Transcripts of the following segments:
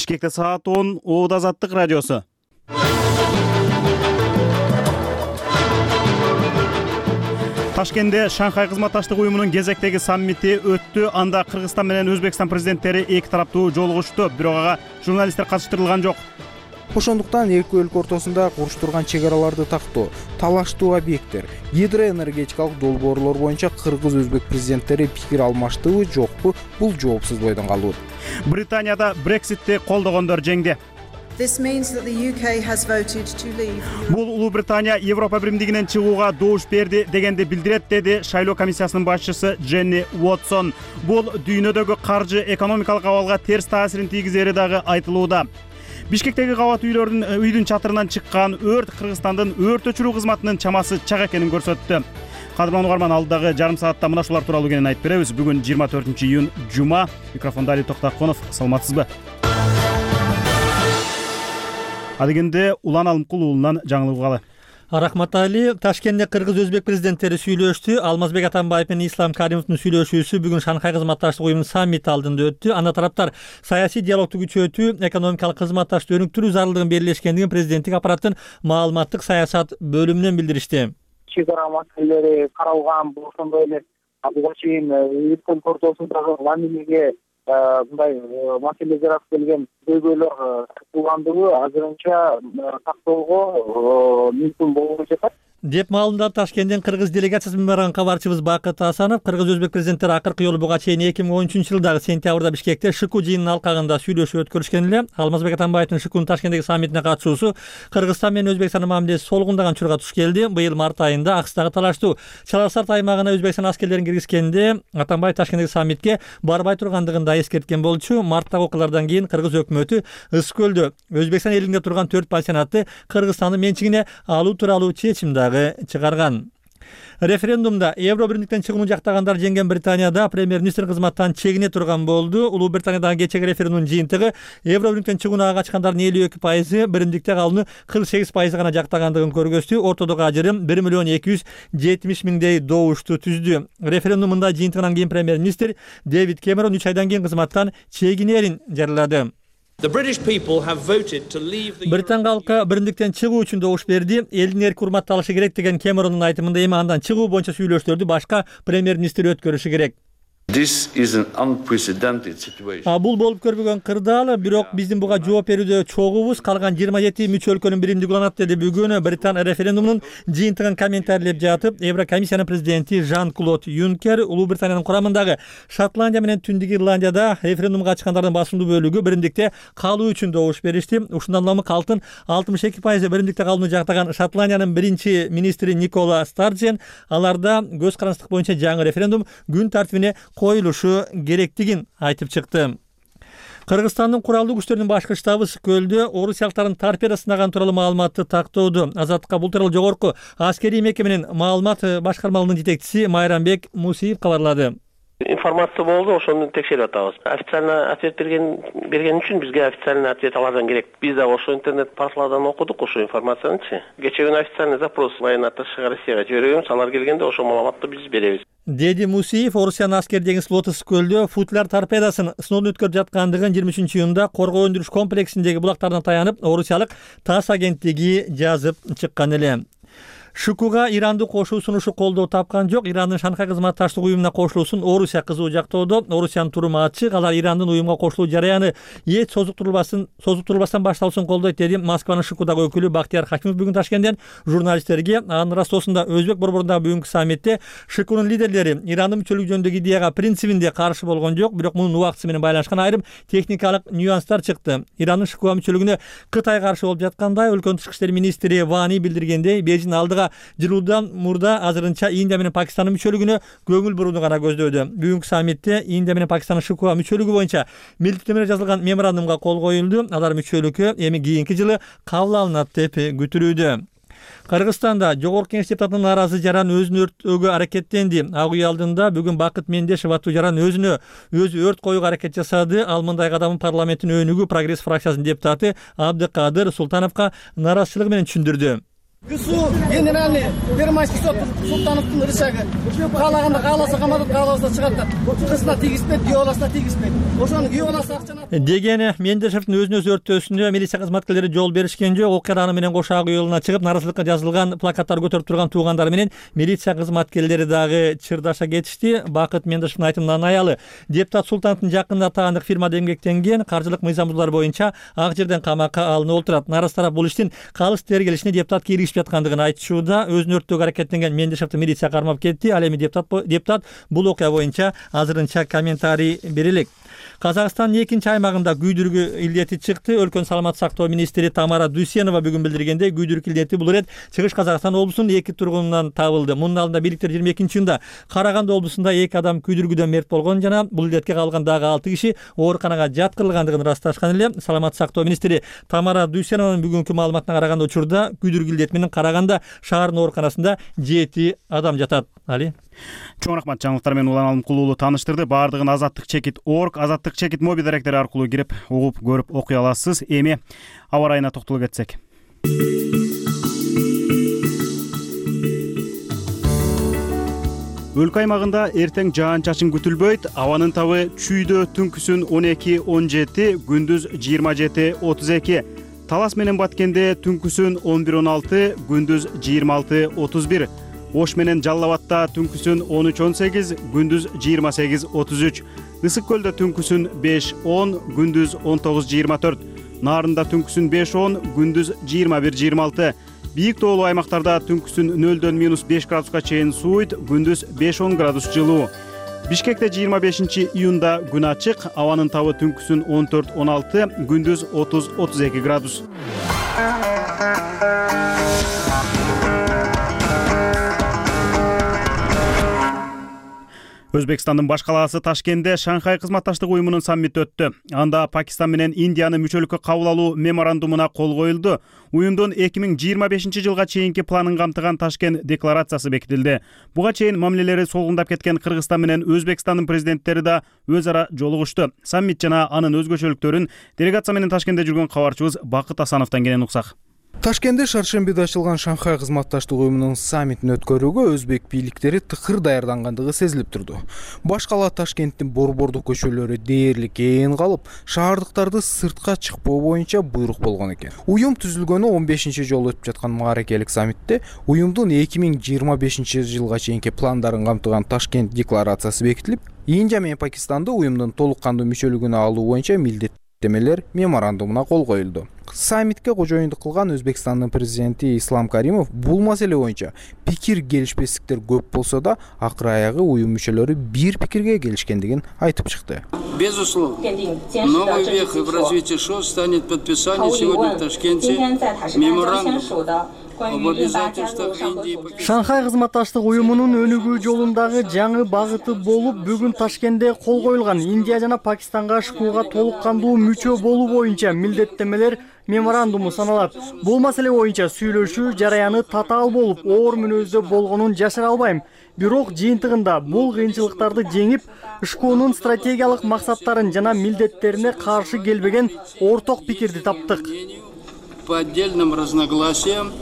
Бишкекте саат 10 Ооба Азаттык радиосу. Ташкентте Шанхай кызматташтык уюмунун кезектеги саммити өттү. Анда Кыргызстан менен Өзбекстан президенттери эки тараптуу жолугушту. Бирок ага журналисттер катыштырылган жок. Ошондуктан эки өлкө ортосунда куруштурган чек араларды тактоо, талаштуу объекттер, гидроэнергетикалык долбоорлор боюнча кыргыз-өзбек президенттери пикир алмаштыбы, жокпу? Бул жоопсуз бойдон калуу. Британияда Брекситти колдогондор жеңди. Бул Улуу Британия Европа биримдигинен чыгууга добуш берди дегенди билдирет, деди шайлоо комиссиясынын башчысы Дженни Уотсон. Бул дүйнөдөгү каржы экономикалык абалга терс таасирин тийгизери дагы айтылууда. Бишкектеги кабат үйдүн чатырынан чыккан өрт Кыргызстандын өрт өчүрүү кызматынын чамасы чак экенин көрсөттү. Кадырлуу угарман, алдагы жарым саатта мына шулар тууралуу кенен айтып беребиз. Бүгүн 24-июнь жума. Микрофондо Али Токтаконов. Саламатсызбы? Адегенде Улан Алымкул уулунан жаңылык угалы. Рахмат Али. Ташкентте кыргыз-өзбек президенттери сүйлөштү. Алмазбек Атамбаев менен Ислам Каримовдун сүйлөшүүсү бүгүн Шанхай кызматташтык уюмунун саммити алдында өттү. Анда тараптар саясий диалогду күчөтүү, экономикалык кызматташтыкты өнүктүрүү зарылдыгын белгилешкендигин президенттик аппараттын маалыматтык саясат бөлүмүнөн билдиришти. Чек ара маселелери каралган, ошондой эле буга чейин эки өлкө ортосундагы мамилеге мындай маселе жаратып келген көйгөйлөр такталгандыгы азырынча тактоого мүмкүн болбой жатат деп маалымдады Ташкенттен кыргыз делегациясынан барган кабарчыбыз Бакыт Асанов. Кыргыз-өзбек президенттери акыркы жолу буга чейин 2013-жылдагы сентябрда Бишкекте ШКУ жыйынынын алкагында сүйлөшүү өткөрүшкөн эле. Алмазбек Атамбаевдин ШКУнун Ташкенттеги саммитине катышуусу Кыргызстан менен Өзбекстандын мамилеси солгундаган учурга туш келди. Быйыл март айында Акстагы талаштуу Чаласарт аймагына Өзбекстан аскерлерин киргизгенде Атамбаев Ташкенттеги саммитке барбай тургандыгын да эскерткен болчу. Марттагы окуялардан кийин Кыргыз өкмөтү Ысык көлдө Өзбекстан элинде турган 4 пансионатты Кыргызстандын менчигине алуу тууралуу чечим чыгарган. Референдумда Евро биримдиктен чыгууну жактагандар жеңген Британияда премьер-министр кызматтан чегине турган болду. Улуу Британиядагы кечеги референдумдун жыйынтыгы Евро биримдиктен чыгууга качкандардын 52%, биримдикте калууну 48% гана жактагандыгын көргөздү. Ортодогу ажырым 1,270,000 добушту түздү. Референдумда жыйынтыгынан кийин премьер-министр Дэвид Кэмерон 3 айдан кийин кызматтан чегинерин жарыялады. Британ калкы биримдиктен чыгуу үчүн добуш берди. Элдин эрки урматталышы керек деген Кэмерондун айтымында эми андан чыгуу боюнча сүйлөшүүлөрдү башка премьер-министр өткөрүшү керек. Бул болуп көрбөгөн кырдаал, бирок биздин буга жооп берүүдө чогубуз. Калган 27 мүчө өлкөнүн биримдиги уланат, деди бүгүн Британ референдумунун жыйынтыгын комментарийлеп жатып Еврокомиссиянын президенти Жан-Клод Юнкер. Улуу Британиянын курамындагы Шотландия менен Түндүк Ирландияда референдумга катышкандардын басымдуу бөлүгү биримдикте калуу үчүн добуш беришти. Ушундан улам калктын 62% биримдикте калууну жактаган Шотландиянын биринчи министри Никола Старджен аларда көз карандык боюнча жаңы референдум күн тартибине коюлушу керектигин айтып чыкты. Кыргызстандын куралдуу күчтөрүнүн башкы штабы Ысык көлдө орусиялыктардын торпеда сынаган тууралуу маалыматты тактоодо. Азаттыкка бул тууралуу жогорку аскерий мекеменин маалымат башкармалыгынын жетекчиси Майрамбек Мусиев кабарлады. Информация болду, ошону текшерип атабыз. Официально ответ берген үчүн бизге официальный ответ алардан керек. Биз да ошо интернет порталдардан окудук ошо информациянычы. Кечээ күнү официальный запрос военно-атташега Россияга жибергенбиз, алар келгенде ошо маалыматты биз беребиз. Деди Мусиев Орусиянын аскер деңиз флоту Ысык көлдө футляр торпедасын сыноодон өткөрүп жаткандыгын 23-июнда коргоо өндүрүш комплексиндеги булактарына таянып, орусиялык ТАСС агенттиги жазып чыккан эле. ШКУга Иранды кошуу сунушу колдоо тапкан жок. Ирандын Шанхай кызматташтык уюмуна кошулуусун Орусия кызуу жактоодо. Орусиянын туруму ачык. Алар Ирандын уюмга кошулуу жараяны эч созуктурулбастан башталсын колдойт, деди Москванын ШКУдагы өкүлү Бактияр Хакимов бүгүн Ташкенттен журналисттерге. Анын ырастоосунда Өзбек борборундагы бүгүнкү саммитте ШКУнун лидерлери Ирандын мүчөлүгү жөнүндөгү идеяга принцибинде каршы болгон жок, бирок мунун убактысы менен байланышкан айрым техникалык нюанстар чыкты. Ирандын ШКУга мүчөлүгүнө Кытай каршы болуп жаткандай, өлкөнүн тышкы иштер министри Вани билдиргендей, Бейжин алдыга жылуудан мурда азырынча Индия менен Пакистандын мүчөлүгүнө көңүл бурууну гана көздөдү. Бүгүнкү саммитте Индия менен Пакистандын ШКУга мүчөлүгү боюнча милдеттенмелер жазылган меморандумга кол коюлду. Алар мүчөлүккө эми кийинки жылы кабыл алынат деп күтүлүүдө. Кыргызстанда жогорку кеңеш депутатынын нааразы жаран өзүн өрттөөгө аракеттенди. Ак үй алдында бүгүн Бакыт Мендешев аттуу жаран өзү өрт коюуга аракет жасады. Ал мындай кадамын парламенттин өнүгүү прогресс фракциясынын депутаты Абдыкадыр Султановго нааразычылыгы менен түшүндүрдү. КСУ генеральный Первомайский Султановдун рычагы. Каалаганда кааласа каматат, каалабаса чыгартат. Кызына тийгизбейт, күйөө баласына тийгизбейт. Ошону күйөө баласы акчаны деген Мендешевдин өзүнө өрттөөсүнө милиция кызматкерлери жол беришкен жок. Окуя менен кошак юлуна чыгып, нааразычылыкка жазылган плакаттар көтөрүп турган туугандары менен милиция кызматкерлери дагы чырдаша кетишти. Бакыт Мендешевдин айтымынан аялы депутат Султановдун жакында таандык фирмада эмгектенген, каржылык мыйзамдуулар боюнча ак жерден камакка алынып отурат. Нааразы тарап бул иштин калыс тергелишине депутат киргизип жаткандыгын айтышууда. Өзүн өрттөөгө аракеттенген Мендешевди милиция кармап кетти. Ал эми депутат бул окуя боюнча азырынча комментарий берелек. Казакстандын 2-нчи аймагында күйдүргү илдети чыкты. Өлкөнүн саламаттык сактоо министри Тамара Дүйсенова бүгүн билдиргендей, күйдүргү илдети бул ирет Чыгыш Казакстан облусунун 2 тургунунан табылды. Мунун алдында бийликтер 22-жылда Караганды облусунда 2 адам күйдүргүдөн мерт болгон жана бул илдетке калган дагы 6 киши ооруканага жаткырылгандыгын ырасташкан эле. Саламаттык сактоо министри Тамара Дүйсенованын бүгүнкү маалыматына караганда учурда күйдүргү илдет менен Караганда шаарынын ооруканасында 7 адам жатат. Али Чоң рахмат, жаңылыктар менен Улан Алымкулуулу тааныштырды. Баардыгын azattikchekit.org, azattikchekit мобиль даректери аркылуу кирип, угуп, көрүп окуй аласыз. Эми аба ырайына токтолуп кетсек. Өлкө аймагында эртең жаан-чачын күтүлбөйт. Абанын табы чүйдө түнкүсүн 12-17, күндүз 27-32. Талас менен Баткенде түнкүсүн 11-16, күндүз 26-31. Ош менен Жалал Абадта түнкүсүн 13-18, күндүз 28-33. Ысык көлдө түнкүсүн 5-10, күндүз 19-24. Нарында түнкүсүн 5-10, күндүз 21-26. Бийик тоолуу аймактарда түнкүсүн 0-дөн -5 градуска чейин сууйт, күндүз 5-10 градус жылуу. Бишкекте 25-июнда күн ачык, абанын табы түнкүсүн 14-16, күндүз 30-32 градус. Өзбекстандын баш калаасы Ташкентте Шанхай кызматташтык уюмунун саммити өттү. Анда Пакистан менен Индияны мүчөлүккө кабыл алуу меморандумуна кол коюлду. Уюмдун 2025-жылга чейинки планын камтыган Ташкент декларациясы бекитилди. Буга чейин мамилелери солгундап кеткен Кыргызстан менен Өзбекстандын президенттери да өз ара жолугушту. Саммит жана анын өзгөчөлүктөрүн делегация менен Ташкентте жүргөн кабарчыбыз Бакыт Асановдон кенен уксак. Ташкентте шаршембиде ачылган Шанхай кызматташтык уюмунун саммитин өткөрүүгө өзбек бийликтери тыкыр даярдангандыгы сезилип турду. Баш кала Ташкенттин борбордук көчөлөрү дээрлик ээн калып, шаардыктарды сыртка чыкпоо боюнча буйрук болгон экен. Уюм түзүлгөнү 15-жолу өтүп жаткан мааракелик саммитте уюмдун 2025-жылга чейинки пландарын камтыган Ташкент декларациясы бекитилип, Индия менен Пакистанды уюмдун толук кандуу мүчөлүгүнө алуу боюнча милдеттемелер меморандумуна кол коюлду. Саммитке кожоюндук кылган Өзбекстандын президенти Ислам Каримов бул маселе боюнча пикир келишпестиктер көп болсо да, акыры аягы уюм мүчөлөрү бир пикирге келишкендигин айтып чыкты. Безусловно, новый век в развитии ШОС станет подписание сегодня в Ташкенте меморандума. Шанхай кызматташтык уюмунун өнүгүү жолундагы жаңы багыты болуп, бүгүн Ташкентте кол коюлган Индия жана Пакистанга ШКУга толук кандуу мүчө болуу боюнча милдеттемелер меморандуму саналат. Бул маселе боюнча сүйлөшүү жараяны татаал болуп, оор мүнөздө болгонун жашыра албайм. Бирок жыйынтыгында бул кыйынчылыктарды жеңип, ШКУнун стратегиялык максаттарын жана милдеттерине каршы келбеген орток пикирди таптык. По отдельным разногласиям,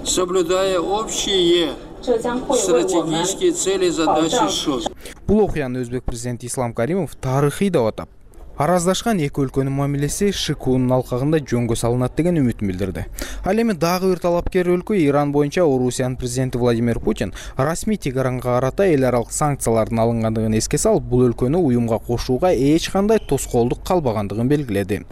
соблюдая общие стратегические цели и задачи ШОС. Бул окуяны өзбек президенти Ислам Каримов тарыхый деп атап, араздашкан эки өлкөнүн мамилеси ШКУнун алкагында жөнгө салынат деген үмүтүн билдирди. Ал эми дагы бир талапкер өлкө Иран боюнча Орусиянын президенти Владимир Путин расмий Тегаранга карата эл аралык санкциялардын алынгандыгын эске салып, бул өлкөнү уюмга кошууга эч кандай тоскоолдук калбагандыгын белгиледи.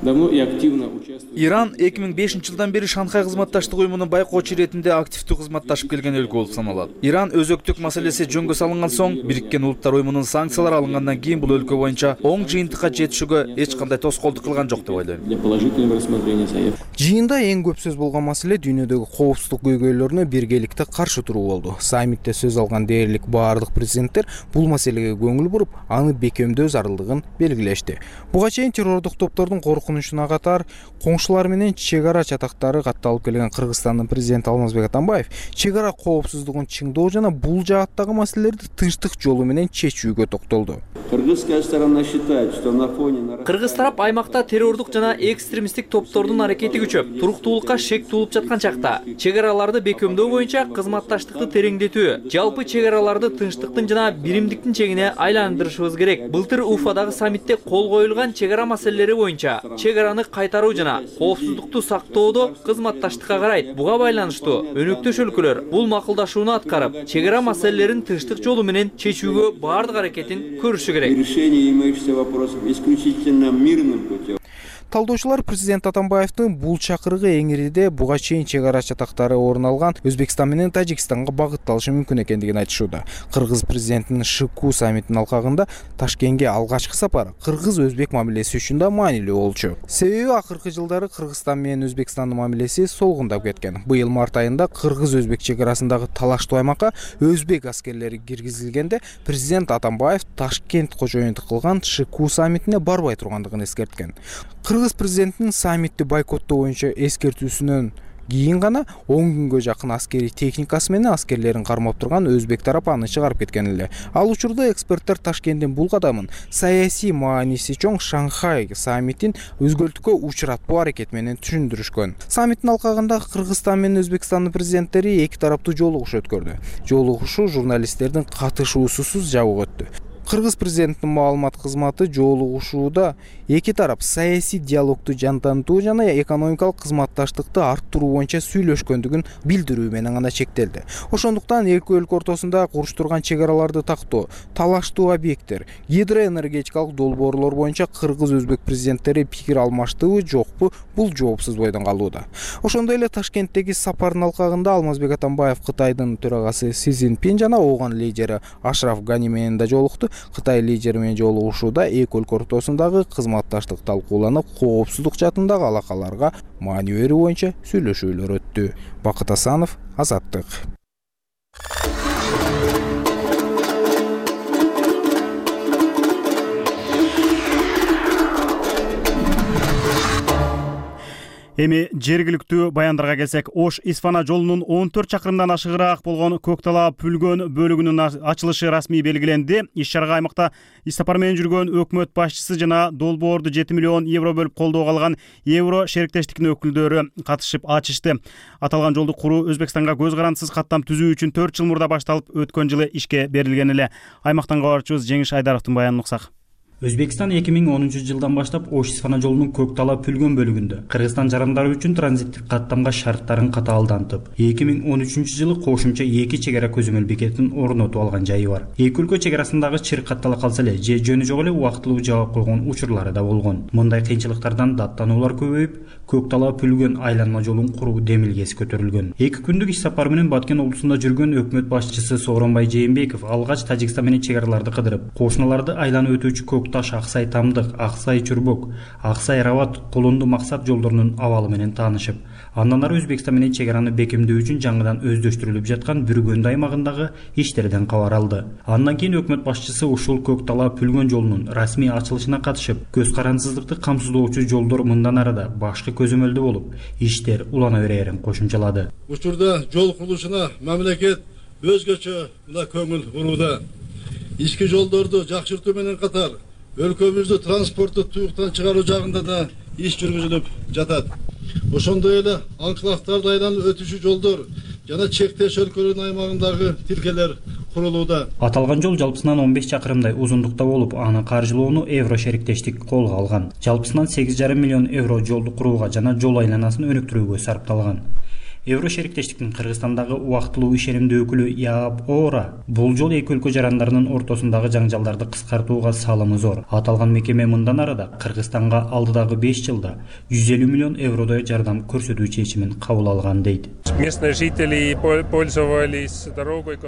Иран 2005-жылдан бери Шанхай кызматташтык уюмунун байкоочу иретинде активдүү кызматташып келген өлкө болуп саналат. Иран өзөктүк маселеси жөнгө салынган соң, Бириккен Улуттар уюмунун санкциялары алынгандан кийин бул өлкө боюнча оң жыйынтыкка жетишүүгө эч кандай тоскоолдук кылган жок деп ойлойм. Жыйында эң көп сөз болгон маселе дүйнөдөгү коопсуздук көйгөйлөрүнө биргеликте каршы туруу болду. Саммитте сөз алган дээрлик баардык президенттер бул маселеге көңүл буруп, аны бекемдөө зарылдыгын белгилешти. Буга чейин террордук топтордун коркунучуна катар коңшулар менен чек ара чатактары катталып келген Кыргызстандын президенти Алмазбек Атамбаев чек ара коопсуздугун чыңдоо жана бул жааттагы маселелерди тынчтык жолу менен чечүүгө токтолду. Кыргызская сторона считает, что на фоне Кыргыз тарап аймакта террордук жана экстремисттик топтордун аракети күчөп, туруктуулукка шек туулуп жаткан чакта чек араларды бекемдөө боюнча кызматташтыкты тереңдетүү, жалпы чек араларды тынчтыктын жана биримдиктин чегине айландырышыбыз керек. Былтыр Уфадагы саммитте кол коюлган чек ара маселелери боюнча чек араны кайтаруу жана коопсуздукту сактоодо кызматташтыкка карайт. Буга байланыштуу өнөктөш өлкөлөр бул макулдашууну аткарып, чек ара маселелерин тынчтык жолу менен чечүүгө баардык аракетин көрүшү керек. Решение имеющихся вопросов исключительно мирным путем. Талдоочулар президент Атамбаевдин бул чакырыгы эңириде буга чейин чек ара чатактары орун алган Өзбекстан менен Тажикстанга багытталышы мүмкүн экендигин айтышууда. Кыргыз президентинин ШКУ саммитинин алкагында Ташкентке алгачкы сапары кыргыз-өзбек мамилеси үчүн да маанилүү болчу. Себеби акыркы жылдары Кыргызстан менен Өзбекстандын мамилеси солгундап кеткен. Быйыл март айында кыргыз-өзбек чек арасындагы талаштуу аймакка өзбек аскерлери киргизилгенде президент Атамбаев Ташкент кожоюнтук кылган ШКУ саммитине барбай тургандыгын эскерткен. Кыргыз президентинин саммитти бойкоттоо боюнча эскертүүсүнөн кийин гана 10 күнгө жакын аскерий техникасы менен аскерлерин кармап турган өзбек тарап аны чыгарып кеткен эле. Ал учурда эксперттер Ташкенттин бул кадамын саясий мааниси чоң Шанхай саммитин өзгөртүүгө учуратпоо аракети менен түшүндүрүшкөн. Саммиттин алкагында Кыргызстан менен Өзбекстандын президенттери эки тараптуу жолугуш өткөрдү. Жолугушуу журналисттердин катышуусусуз жабык өттү. Кыргыз президентинин маалымат кызматы жолугушууда эки тарап саясий диалогду жандантуу жана экономикалык кызматташтыкты арттыруу боюнча сүйлөшкөндүгүн билдирүү менен гана чектелди. Ошондуктан эки өлкө ортосунда куруштурган чек араларды тактоо, талаштуу объекттер, гидроэнергетикалык долбоорлор боюнча кыргыз-өзбек президенттери пикир алмаштыбы, жокпу, бул жоопсуз бойдон калууда. Ошондой эле Ташкенттеги сапардын алкагында Алмазбек Атамбаев Кытайдын төрагасы Си Цзиньпин жана Ооган лидери Ашраф Гани менен да жолукту. Кытай лидери менен жолугушууда эки өлкө ортосундагы кызматташтык талкууланып, коопсуздук жаатындагы алакаларга маани берүү боюнча сүйлөшүүлөр өттү. Бакыт Асанов, Азаттык. Эми жергиликтүү баяндарга келсек, Ош-Исфана жолунун 14 чакырымдан ашыгыраак болгон Көктала-Пүлгөн бөлүгүнүн ачылышы расмий белгиленди. Иш-чарага аймакта иштапар менен жүргөн өкмөт башчысы жана долбоорду 7 миллион евро бөлүп колдоого алган Евро шериктештиктин өкүлдөрү катышып ачышты. Аталган жолду куруу Өзбекстанга көз карандысыз каттам түзүү үчүн 4 жыл мурда башталып, өткөн жылы ишке берилген эле. Аймактан кабарчыбыз Жеңиш Айдаровдун баянын уксак. Өзбекстан 2010 жылдан баштап Ош-Исфана жолунун Көктала-Пүлгөн бөлүгүндө Кыргызстан жарандары үчүн транзиттик каттамга шарттарын катаалдантып, 2013 жылы кошумча 2 чек ара көзөмөл бекетин орнотуп алган жайы бар. Эки өлкө чек арасындагы чыр каттала калса эле, же жөнү жок эле убактылуу жаап койгон учурлары да болгон. Мындай кыйынчылыктардан даттануулар көбөйүп, Көктала-Пүлгөн айланма жолун куруу демилгеси көтөрүлгөн. 2 күндүк иш сапары менен Баткен облусунда жүргөн өкмөт башчысы Сооронбай Жээнбеков алгач Тажикстан менен чек араларды кыдырып, кошуналарды айланып өтүүчү Таш, Аксай Тамдык, Аксай Чурбок, Аксай Рават, Колунду Максат жолдорунун абалы менен таанышып, андан ары Өзбекстан менен чек араны бекемдөө үчүн жаңыдан өздөштүрүлүп жаткан Бүргөндү аймагындагы иштерден кабар алды. Андан кийин өкмөт башчысы ушул Көктала-Пүлгөн жолунун расмий ачылышына катышып, көз карандысыздыкты камсыздоочу жолдор мындан ары да башкы көзөмөлдө болуп, иштер улана берерин кошумчалады. Учурда жол курулушуна мамлекет өзгөчө көңүл бурууда. Ички жолдорду жакшыртуу менен катар өлкөбүздү транспортту туюктан чыгаруу жагында да иш жүргүзүлүп жатат. Ошондой эле анклавдарды айланып өтүшү жолдор жана чектеш өлкөлөрдүн аймагындагы тилкелер курулууда. Аталган жол жалпысынан 15 чакырымдай узундукта болуп, аны каржылоону Евро шериктештик колго алган. Жалпысынан 8,5 миллион евро жолду курууга жана жол айланасын өнүктүрүүгө сарпталган. Евро шериктештиктин Кыргызстандагы убактылуу ишенимдүү өкүлү Яап Ора бул жол эки өлкө жарандарынын ортосундагы жаңжалдарды кыскартууга салымы зор. Аталган мекеме мындан ары да Кыргызстанга алдыдагы 5 жылда 150 миллион евродой жардам көрсөтүү чечимин кабыл алган дейт.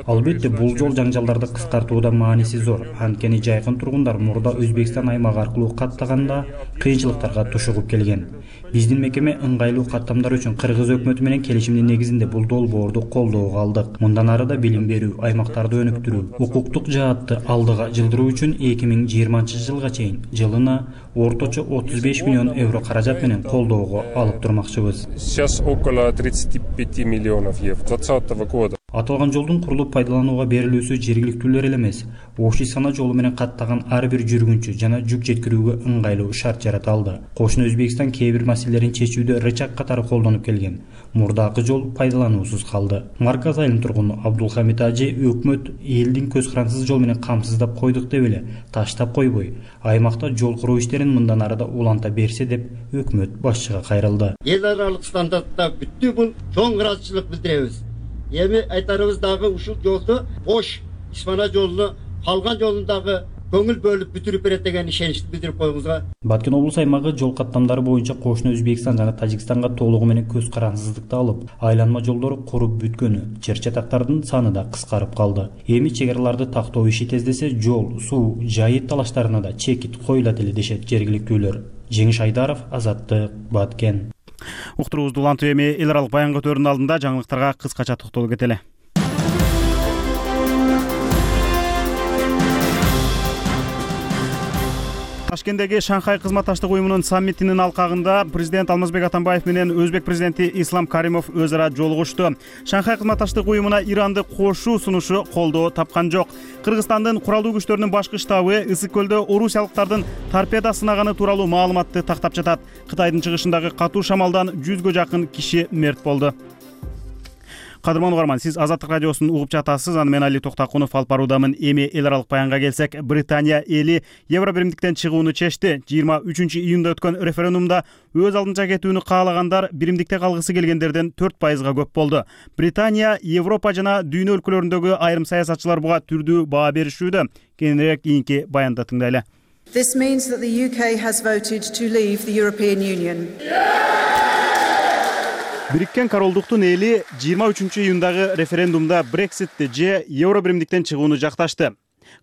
Албетте бул жол жаңжалдарды кыскартууда мааниси зор. Анткени жайкын тургундар мурда Өзбекстан аймагы аркылуу каттаганда кыйынчылыктарга тушугуп келген. Биздин мекеме ыңгайлуу каттамдар үчүн Кыргыз өкмөтү менен келишимдин негизинде бул долбоорду колдоого алдык. Мындан ары да билим берүү, аймактарды өнүктүрүү, укуктук жаатты алдыга жылдыруу үчүн 2020 жылга чейин жылына орточо 35 миллион евро каражат менен колдоого алып турмакчыбыз. Сейчас около 35 миллионов евро 2020 года. Аталган жолдун курулуп пайдаланууга берилүүсү жергиликтүүлөр эле эмес, Ош-Исфана жолу менен каттаган ар бир жүргүнчү жана жүк жеткирүүгө ыңгайлуу шарт жарата алды. Кошуна Өзбекстан кээ бир маселелерин чечүүдө рычаг катары колдонуп келген. Мурдакы жол пайдалануусуз калды. Марказ айылынын тургуну Абдулхамид Ажи өкмөт элдин көз карансыз жол менен камсыздап койдук деп эле таштап койбой, аймакта жол куруу иштерин мындан арада уланта берсе деп өкмөт башчыга кайрылды. Эл аралык стандартта бүттү бул чоң ыраазычылык билдиребиз. Эми айтарыбыз дагы ушул жолду Ош-Исфана жолуну калган жолундагы көңүл бөлүп бүтүрүп берет деген ишеничти билдирип коюңузга. Баткен облус аймагы жол каттамдары боюнча кошуна Өзбекстан жана Тажикстанга толугу менен көз карансыздыкты алып, айланма жолдору куруп бүткөнү, чыр-чатактардын саны да кыскарып калды. Эми чегараларды тактоо иши тездесе, жол, суу, жайыт талаштарына да чекит коюлат эле дешет жергиликтүүлөр. Жеңиш Айдаров, Азаттык, Баткен. Уктуруубузду улантып эми эл аралык баян көтөрүүнүн алдында жаңылыктарга кыскача токтолуп кетели. Ташкенттеги Шанхай кызматташтык уюмунун саммитинин алкагында президент Алмазбек Атамбаев менен Өзбек президенти Ислам Каримов өз ара жолугушту. Шанхай кызматташтык уюмуна Иранды кошуу сунушу колдоо тапкан жок. Кыргызстандын куралдуу күчтөрүнүн башкы штабы Ысык көлдө орусиялыктардын торпеда сынаганы тууралуу маалыматты тактап жатат. Кытайдын чыгышындагы катуу шамалдан 100гө жакын киши мерт болду. Кадырман угарман, сиз Азаттык радиосун угуп жатасыз. Аны мен Али Токтакунов алып баруудамын. Эми эл аралык баянга келсек, Британия эли Евро биримдиктен чыгууну чечти. 23-июнда өткөн референдумда өз алдынча кетүүнү каалагандар биримдикте калгысы келгендерден 4%га көп болду. Британия, Европа жана дүйнө өлкөлөрүндөгү айрым саясатчылар буга түрдүү баа беришүүдө. Кийинирээк кийинки баянды тыңдайлы. This means that the UK has voted to leave the European Union. Бириккен Королдуктун эли 23-июндагы референдумда Брекситти же Евро биримдиктен чыгууну жакташты.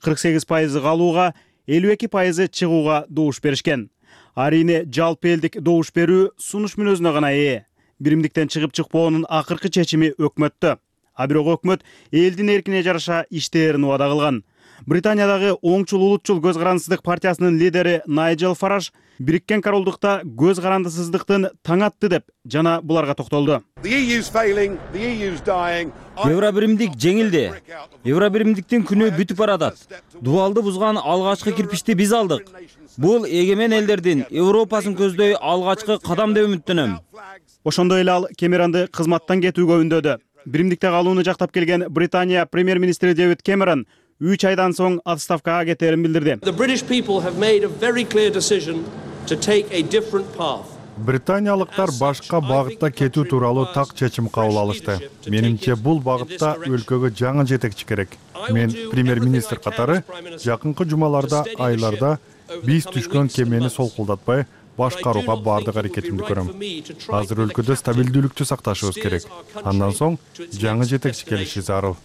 48% калууга, 52% чыгууга добуш беришкен. Арине жалпы элдик добуш берүү сунуш мүнөзүнө гана ээ. Биримдиктен чыгып чыкпоонун акыркы чечими өкмөттө. А бирок өкмөт элдин эркине жараша иштээрин убада кылган. Британиядагы оңчул улутчул көз карандысыздык партиясынын лидери Найджел Фараж Бириккен Королдукта көз карандысыздыктын таң атты деп жана буларга токтолду. Евро биримдик жеңилди. Евро биримдиктин күнү бүтүп баратат. Дубалды бузган алгачкы кирпичти биз алдык. Бул эгемен элдердин Европасын көздөй алгачкы кадам деп үмүттөнөм. Ошондой эле ал Кэмеронду кызматтан кетүүгө үндөдү. Биримдикте калууну жактап келген Британия премьер-министри Дэвид Кэмерон 3 айдан соң отставкага кетерин билдирди. Британиялыктар башка багытта кетүү тууралуу так чечим кабыл алышты. Менимче бул багытта өлкөгө жаңы жетекчи керек. Мен премьер-министр катары жакынкы жумаларда, айларда биз түшкөн кемени солкулдатпай башкарууга бардык аракетимди көрөм. Азыр өлкөдө стабилдүүлүктү сакташыбыз керек. Андан соң жаңы жетекчи келиши зарыл.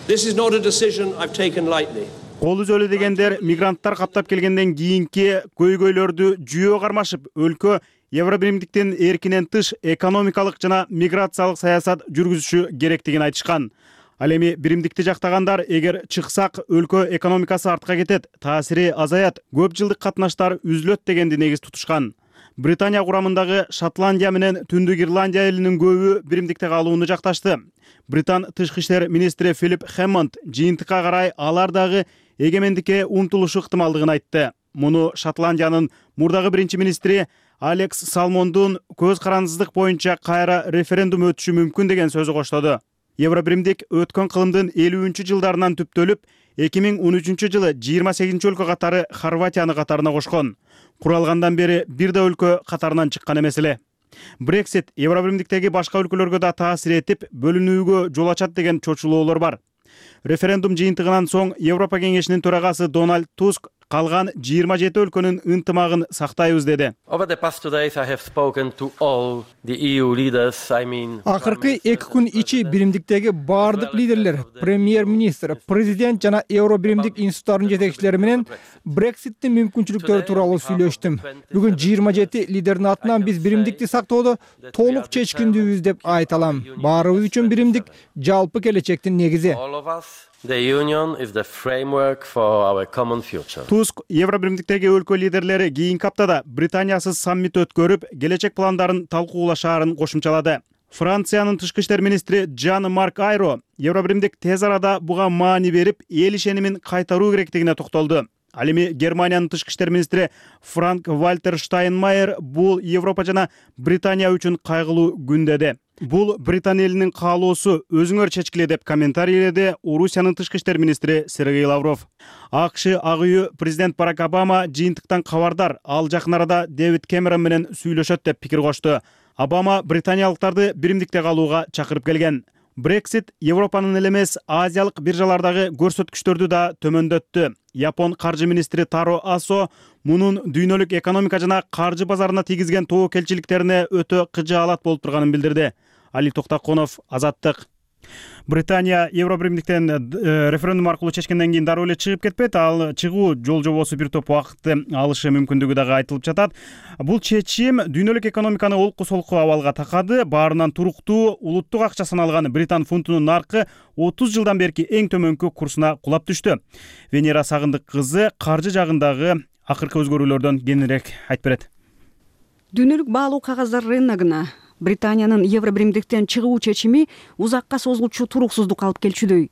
Кол үзөлү дегендер мигранттар каптап келгенден кийинки көйгөйлөрдү жүйө кармашып, өлкө Евро биримдиктин эркинен тыш экономикалык жана миграциялык саясат жүргүзүшү керектигин айтышкан. Ал эми биримдикти жактагандар эгер чыксак өлкө экономикасы артка кетет, таасири азаят, көп жылдык катнаштар үзүлөт дегенди негиз тутушкан. Британия курамындагы Шотландия менен Түндүк Ирландия элинин көбү биримдикте калууну жакташты. Британ тышкы иштер министри Филипп Хэммонд жыйынтыкка карай алар дагы эгемендикке умтулушу ыктымалдыгын айтты. Муну Шотландиянын мурдагы биринчи министри Алекс Салмондун көз карандысыздык боюнча кайра референдум өтүшү мүмкүн деген сөзү коштоду. Евро биримдик өткөн кылымдын 50-жылдарынан түптөлүп, 2013-жылы 28 өлкө катары Хорватияны катарына кошкон. Куралгандан бери бир да өлкө катарынан чыккан эмес эле. Брексит Евро биримдиктеги башка өлкөлөргө да таасир этип, бөлүнүүгө жол ачат деген чочулоолор бар. Референдум жыйынтыгынан соң Европа кеңешинин төрагасы Дональд Туск калган 27 өлкөнүн ынтымагын сактайбыз деди. Акыркы 2 күн ичи биримдиктеги бардык лидерлер, премьер-министр, президент жана Евро биримдик институттарынын жетекчилери менен Брекситтин мүмкүнчүлүктөрү тууралуу сүйлөштүм. Бүгүн 27 лидердин атынан биз биримдикти сактоодо толук чечкиндүүбүз деп айта алам. Баарыбыз үчүн биримдик жалпы келечектин негизи. The union is the framework for our common future. Туск Евро биримдиктеги өлкө лидерлери кийинки аптада Британиясыз саммит өткөрүп, келечек пландарын талкуулашаарын кошумчалады. Франциянын тышкы иштер министри Жан-Марк Айро Евробиримдик тез арада буга маани берип, эл ишенимин кайтаруу керектигине токтолду. Ал эми Германиянын тышкы иштер министри Франк Вальтер Штайнмайер бул Европа жана Британия үчүн кайгылуу күн деди. Бул Британ элинин каалоосу, өзүңөр чечкиле деп комментарийледи Орусиянын тышкы иштер министри Сергей Лавров. АКШ ак үйү президент Барак Обама жыйынтыктан кабардар, ал жакын арада Дэвид Кэмерон менен сүйлөшөт деп пикир кошту. Обама британиялыктарды биримдикте калууга чакырып келген. Брексит Европанын эле эмес, азиялык биржалардагы көрсөткүчтөрдү да төмөндөттү. Япон каржы министри Таро Асо мунун дүйнөлүк экономика жана каржы базарына тийгизген тобокелчиликтерине өтө кыжаалат болуп турганын билдирди. Али Токтаконов, Азаттык. Британия Евробиримдиктен референдум аркылуу чечкенден кийин дароо эле чыгып кетпейт. Ал чыгуу жол жобосу бир топ убакытты алышы мүмкүндүгү дагы айтылып жатат. Бул чечим дүйнөлүк экономиканы олку-солку абалга такады. Баарынан туруктуу улуттук акча саналган британ фунтунун наркы 30 жылдан берки эң төмөнкү курсуна кулап түштү. Венера Сагындык кызы каржы жагындагы акыркы өзгөрүүлөрдөн кеңирээк айтып берет. Дүйнөлүк баалуу кагаздар рыногуна Британиянын Евробиримдиктен чыгуу чечими узакка созулчу туруксуздук алып келчүдөй.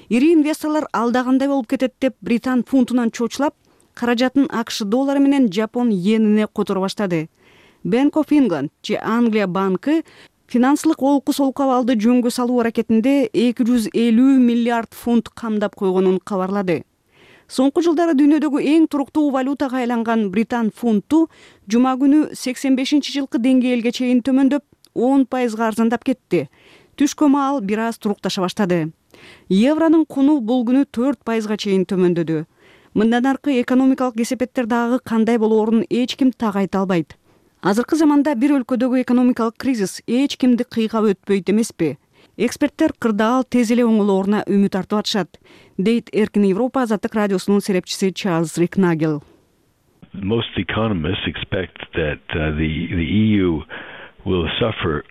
Ири инвесторлор алдагандай болуп кетет деп британ фунтунан чочулап, каражатын АКШ доллары менен Жапон йенине которо баштады. Bank of England же Англия банкы финансылык олку-солку абалды жөнгө салуу аракетинде 250 миллиард фунт камдап койгонун кабарлады. Соңку жылдары дүйнөдөгү эң туруктуу валютага айланган британ фунту жума күнү 85-жылкы деңгээлге чейин төмөндөп, 10% арзандап кетти. Түшкө маал бир аз турукташа баштады. Евронун куну бул күнү 4% чейин төмөндөдү. Мындан аркы экономикалык кесепеттер дагы кандай болоорун эч ким так айта албайт. Азыркы заманда бир өлкөдөгү экономикалык кризис эч кимди кыйгап өтпөйт эмеспи? Эксперттер кырдаал тез эле оңолооруна үмүт артып атышат, дейт Эркин Европа Азаттык радиосунун серепчиси Чарльз Рикнагел. Most economists expect that the EU will suffer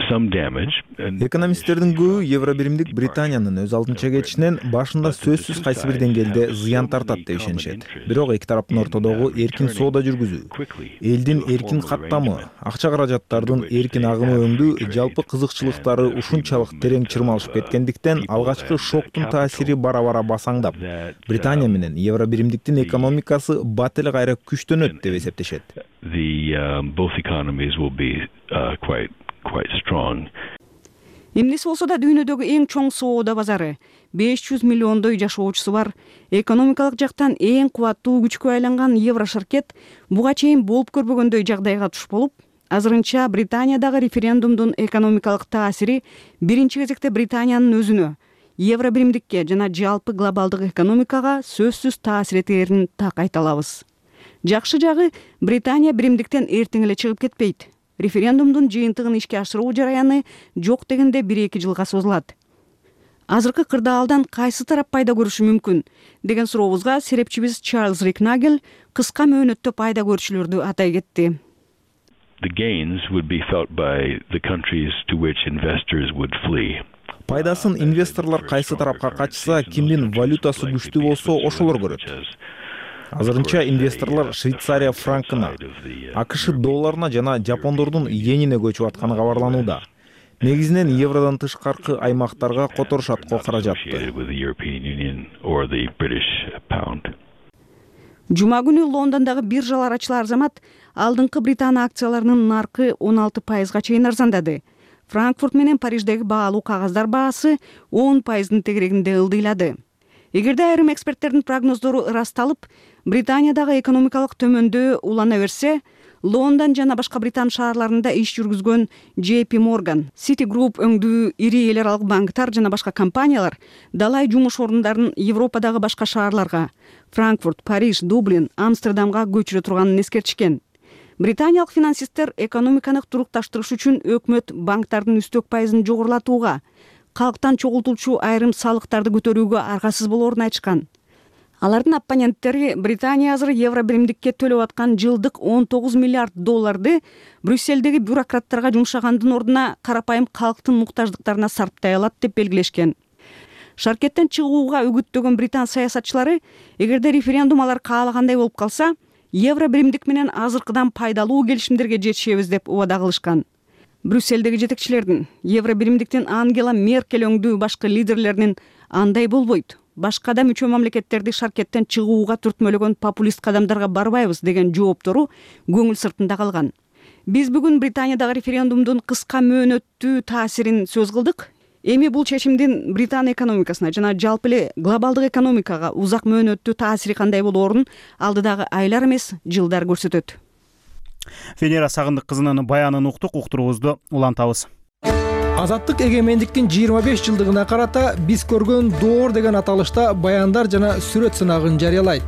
some damage. Экономисттердин көбү Евробиримдик Британиянын өз алдынча кетишинен башында сөзсүз кайсы бир деңгээлде зыян тартат деп ишенишет. Бирок эки тараптын ортодогу эркин соода жүргүзүү, элдин эркин каттамы, акча каражаттардын эркин агымы өңдүү жалпы кызыкчылыктары ушунчалык терең чырмалышып кеткендиктен алгачкы шоктун таасири бара-бара басаңдап, Британия менен Евробиримдиктин экономикасы бат эле кайра күчтөнөт деп эсептешет. Both economies will be quite strong. Эмнеси болсо да дүйнөдөгү эң чоң соода базары, 500 миллиондой жашоочусу бар, экономикалык жактан эң кубаттуу күчкө айланган Еврошаркет буга чейин болуп көрбөгөндөй жагдайга туш болуп, азырынча Британиядагы референдумдун экономикалык таасири биринчи кезекте Британиянын өзүнө, Евробиримдикке жана жалпы глобалдык экономикага сөзсүз таасир этерин так айта алабыз. Жакшы жагы, Британия биримдиктен эртең эле чыгып кетпейт. Референдумдун жыйынтыгын ишке ашыруу жараяны жок дегенде 1-2 жылга созулат. Азыркы кырдаалдан кайсы тарап пайда көрүшү мүмкүн деген сурообузга серепчибиз Чарльз Рикнагел кыска мөөнөттө пайда көрчүлөрдү атай кетти. The gains would be felt by the countries to which investors would flee. Пайдасын инвесторлор кайсы тарапка качса, кимдин валютасы күчтүү болсо ошолор көрөт. Азырынча инвесторлор Швейцария франкына, АКШ долларына жана жапондордун йенине көчүп атканы кабарланууда. Негизинен евродон тышкаркы аймактарга которушат каражатты. Жума күнү Лондондогу биржалар ачылар замат алдыңкы Британ акцияларынын наркы 16% чейин арзандады. Франкфурт менен Париждеги баалуу кагаздар баасы 10%-дын тегерегинде ылдыйлады. Эгерде айрым эксперттердин прогноздору ырасталып, Британиядагы экономикалык төмөндөө улана берсе, Лондон жана башка Британ шаарларында иш жүргүзгөн JP Morgan, Citigroup өңдүү ири эл аралык банктар жана башка компаниялар далай жумуш орундарын Европадагы башка шаарларга, Франкфурт, Париж, Дублин, Амстердамга көчүрө турганын эскертишкен. Британиялык финансисттер экономиканы турукташтырыш үчүн өкмөт банктардын үстөк пайызын жогорулатууга, калктан чогултулчу айрым салыктарды көтөрүүгө аргасыз болоорун айтышкан. Алардын оппоненттери Британия азыр Евробиримдикке төлөп аткан жылдык 19 миллиард долларды Брюссельдеги бюрократтарга жумшагандын ордуна карапайым калктын муктаждыктарына сарптай алат деп белгилешкен. Шаркеттен чыгууга үгүттөгөн британ саясатчылары, эгерде референдум алар каалагандай болуп калса, Евробиримдик менен азыркыдан пайдалуу келишимдерге жетишебиз деп убада кылышкан. Брюссельдеги жетекчилердин, Евробиримдиктин Ангела Меркель өңдүү башкы лидерлеринин андай болбойт, башка да мүчө мамлекеттерди шаркеттен чыгууга түртмөлөгөн популист кадамдарга барбайбыз деген жооптору көңүл сыртында калган. Биз бүгүн Британиядагы референдумдун кыска мөөнөттүү таасирин сөз кылдык. Эми бул чечимдин Британия экономикасына жана жалпы эле глобалдык экономикага узак мөөнөттүү таасири кандай болоорун алдыдагы айлар эмес, жылдар көрсөтөт. Венера Сагындык кызынын баянын уктук, уктуруубузду улантабыз. Азаттык эгемендиктин 25 жылдыгына карата биз көргөн доор деген аталышта баяндар жана сүрөт сынагын жарыялайт.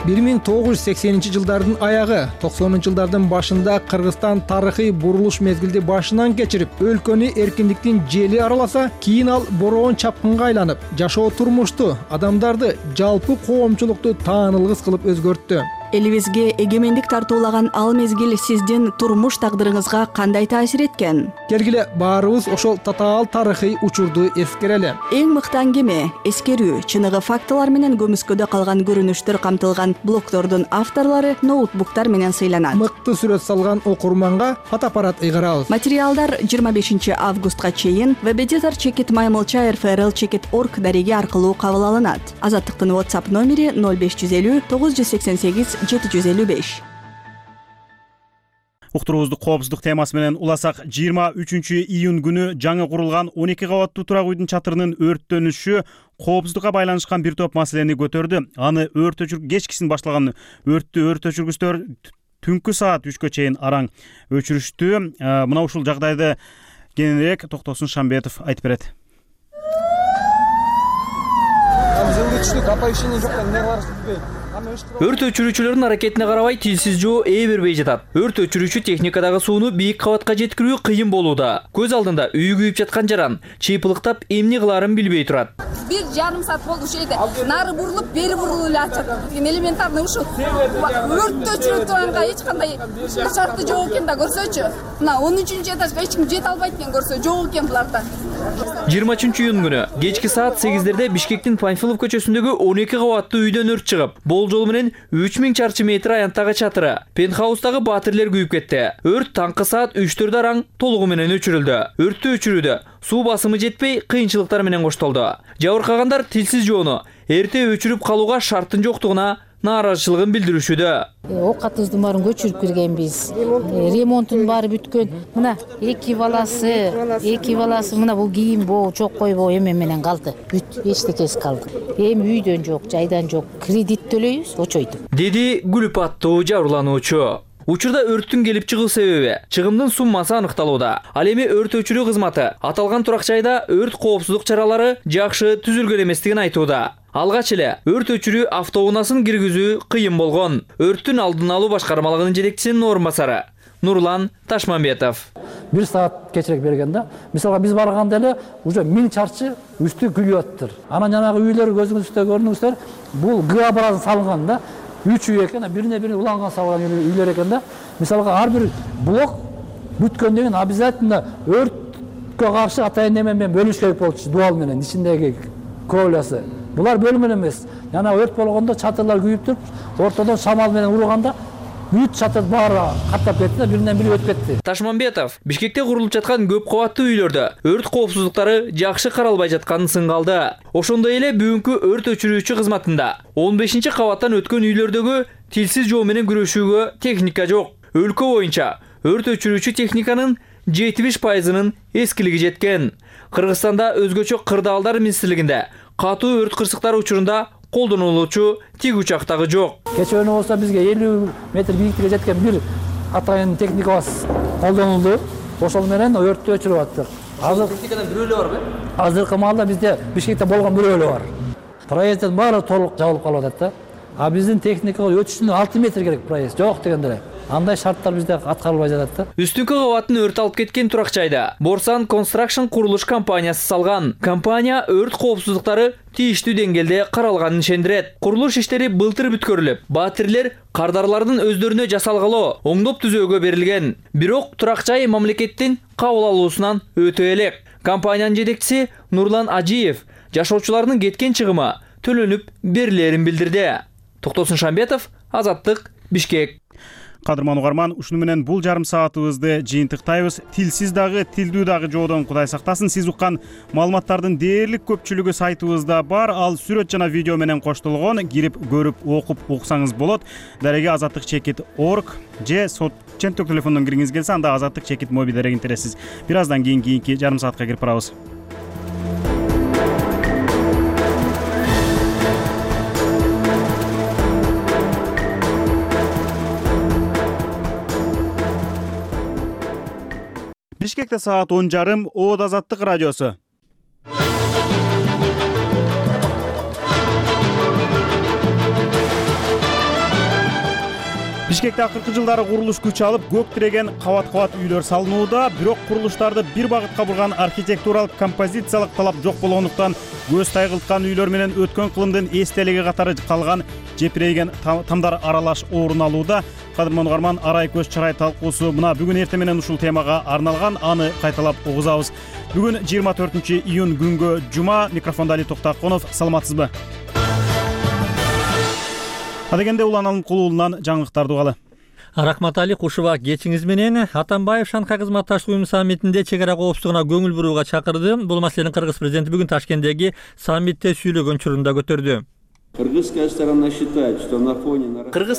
1980 жылдардын аягы, 90 жылдардын башында Кыргызстан тарыхый бурулуш мезгилди башынан кечирип, өлкөнү эркиндиктин жели араласа, кийин ал бороон чапкынга айланып, жашоо турмушту, адамдарды, жалпы коомчулукту таанылгыс кылып өзгөрттү. Элибизге эгемендик тартуулаган ал мезгил сиздин турмуш тагдырыңызга кандай таасир эткен? Келгиле баарыбыз ошол татаал тарыхый учурду эскерели. Эң мыкты аңгеме, эскерүү, чыныгы фактылар менен көмүскөдө калган көрүнүштөр камтылган блогдордун авторлору ноутбуктар менен сыйланат. Мыкты сүрөт салган окурманга фотоаппарат ыйгарабыз. Материалдар 25 августка чейин webeditor@maymolcha.rfrl.org дареги аркылуу кабыл алынат. Азаттыктын WhatsApp номери 0550 988 755. Уктуруубузду коопсуздук темасы менен уласак, 23 июнь күнү жаңы курулган 12 кабаттуу турак үйдүн чатырынын өрттөнүшү коопсуздукка байланышкан бир топ маселени көтөрдү. Аны өрт өчүрүү кечкисин башталган өрт өчүргүчтөр түнкү саат 3кө чейин араң өчүрүштү. Мына ушул жагдайды кененирээк Токтосун Шамбетов айтып берет. Өрт өчүрүүчүлөрдүн аракетине карабай тилсиз жоо ээ бербей жатат. Өрт өчүрүүчү техникадагы сууну бийик кабатка жеткирүү кыйын болууда. Көз алдында үйү күйүп жаткан жаран чыйпылыктап эмне кылаарын билбей турат. 1,5 саат болду ушул жерде. Нары бурулуп, бери бурулуп эле атат. Элементарный ушул өрт өчүрүү турганга эч кандай шарты жок экен да көрсөчү. Мына 13-чү этажга эч ким жете албайт экен көрсө, жок экен буларда. 23 июнь күнү кечки саат 8-дерде Бишкектин Панфилов көчөсүндөгү 12 кабаттуу үйдөн өрт чыгып, жол менен 3000 чарчы метр аянттагы чатыры, пентхаустагы батирлер күйүп кетти. Өрт таңкы саат 3-4 араң толугу менен өчүрүлдү. Өрттү өчүрүүдө суу басымы жетпей, кыйынчылыктар менен коштолду. Жабыркагандар тилсиз жоону эрте өчүрүп калууга шарттын жоктугуна нааразычылыгын билдиришүүдө. Оокатыбыздын баарын көчүрүп киргенбиз. Ремонттун баары бүткөн. Мына эки баласы мына бул кийин боо жок койбоо эме менен калды. Бүт эчтекеси калды. Эми үйдөн жок, жайдан жок. Кредит төлөйбүз, очойтуп. Деди Гүлүп аттуу жабырлануучу. Учурда өрттүн келип чыгуу себеби, чыгымдын суммасы аныкталууда. Ал эми өрт өчүрүү кызматы аталган турак жайда өрт коопсуздук чаралары жакшы түзүлгөн эместигин айтууда. Алгач эле өрт өчүрүү автоунаасын киргизүү кыйын болгон. Өрттүн алдын алуу башкармалыгынын жетекчисинин орун басары Нурлан Ташмамбетов. 1 саат кечирээк бергенде, мисалга биз барганда эле уже 1000 чарчы үстү күйүп аттыр. Анан жанагы үйлөр көзүңүздө көрдүңүздөр, бул ГА базасы салынган да. 3 үй экен, бирине-бири уланган салган үйлөр экен да. Мисалга ар бир блок бүткөндөн кийин обязательно өрткө каршы атайын неме менен бөлүш керек болчу, дуал менен ичиндеги кровлясы. Булар бөлүнгөн эмес. Жана өрт болгондо чатырлар күйүп туруп, ортодон шамал менен урганда бүт чатыр баары каттап кетти, биринен-бири өтүп кетти. Ташмамбетов Бишкекте курулуп жаткан көп кабаттуу үйлөрдө өрт коопсуздуктары жакшы каралбай жатканын сынгалды. Ошондой эле бүгүнкү өрт өчүрүүчү кызматында 15 кабаттан өткөн үйлөрдөгү тилсиз жоо менен күрөшүүгө техника жок. Өлкө боюнча өрт өчүрүүчү техниканын 70%-нын эскилиги жеткен. Кыргызстанда өзгөчө кырдаалдар министрлигинде катуу өрт кырсыктары учурунда колдонулуучу тиг учактагы жок. Кечээ болсо бизге 50 метр бийиктикке жеткен бир атайын техникабыз колдонулду. Ошол менен өрттү өчүрүп аттык. Азыр техникадан бирөө эле барбы? Азыркы маалда бизде Бишкекте болгон бирөө эле бар. Проезддин баары толук жабылып калып атат да. А биздин техникага өтүш үчүн 6 метр керек проезд. Жок дегенде эле. Андай шарттар бизде аткарылбай жатат да. Үстүнкү кабаттын өрт алып кеткен турак жайда Борсан Construction курулуш компаниясы салган. Компания өрт коопсуздуктары тийиштүү деңгээлде каралганын ишендирет. Курулуш иштери былтыр бүткөрүлүп, батирлер кардарлардын өздөрүнө жасалгалы оңдоп түзөөгө берилген. Бирок турак жай мамлекеттин кабыл алуусунан өтө элек. Компаниянын жетекчиси Нурлан Ажиев жашоочулардын кеткен чыгымы төлөнүп берилерин билдирди. Токтосун Шамбетов, Азаттык, Бишкек. Кадырман угарман, ушуну менен бул жарым саатыбызды жыйынтыктайбыз. Тилсиз дагы, тилдүү дагы жоодон Кудай сактасын. Сиз уккан маалыматтардын дээрлик көпчүлүгү сайтыбызда бар. Ал сүрөт жана видео менен коштолгон. Кирип көрүп, окуп уксаңыз болот. Дареге azatlyk.org же сот ченттик телефондон киргиңиз келсе, анда azatlyk моби дарегин тересиз. Бир аздан кийинки жарым саатка кирип барабыз. Бишкекте саат 10:30, Оод Азаттык радиосу. Бишкекте акыркы жылдары курулуш күч алып, көк тиреген кабат-кабат үйлөр салынууда, бирок курулуштарды бир багытка бурган архитектуралык композициялык талап жок болгондуктан көз тайгылткан үйлөр менен өткөн кылымдын эстелиги катары калган жепирейген тамдар аралаш орун алууда. Кадырман угарман, арай көз чарай талкуусу мына бүгүн эртең менен ушул темага арналган, аны кайталап угузабыз. Бүгүн 24-июнь күнгө жума. Микрофонда Али Токтаконов. Саламатсызбы? Адегенде Улан Алымкулуулунан жаңылыктарды угалы. Рахмат Али, кушуба кечиңиз менен. Атамбаев Шанхай кызматташтык уюму саммитинде чек ара коопсуздугуна көңүл бурууга чакырды. Бул маселени Кыргыз президенти бүгүн Ташкенттеги саммитте сүйлөгөн учурунда көтөрдү. Кыргыз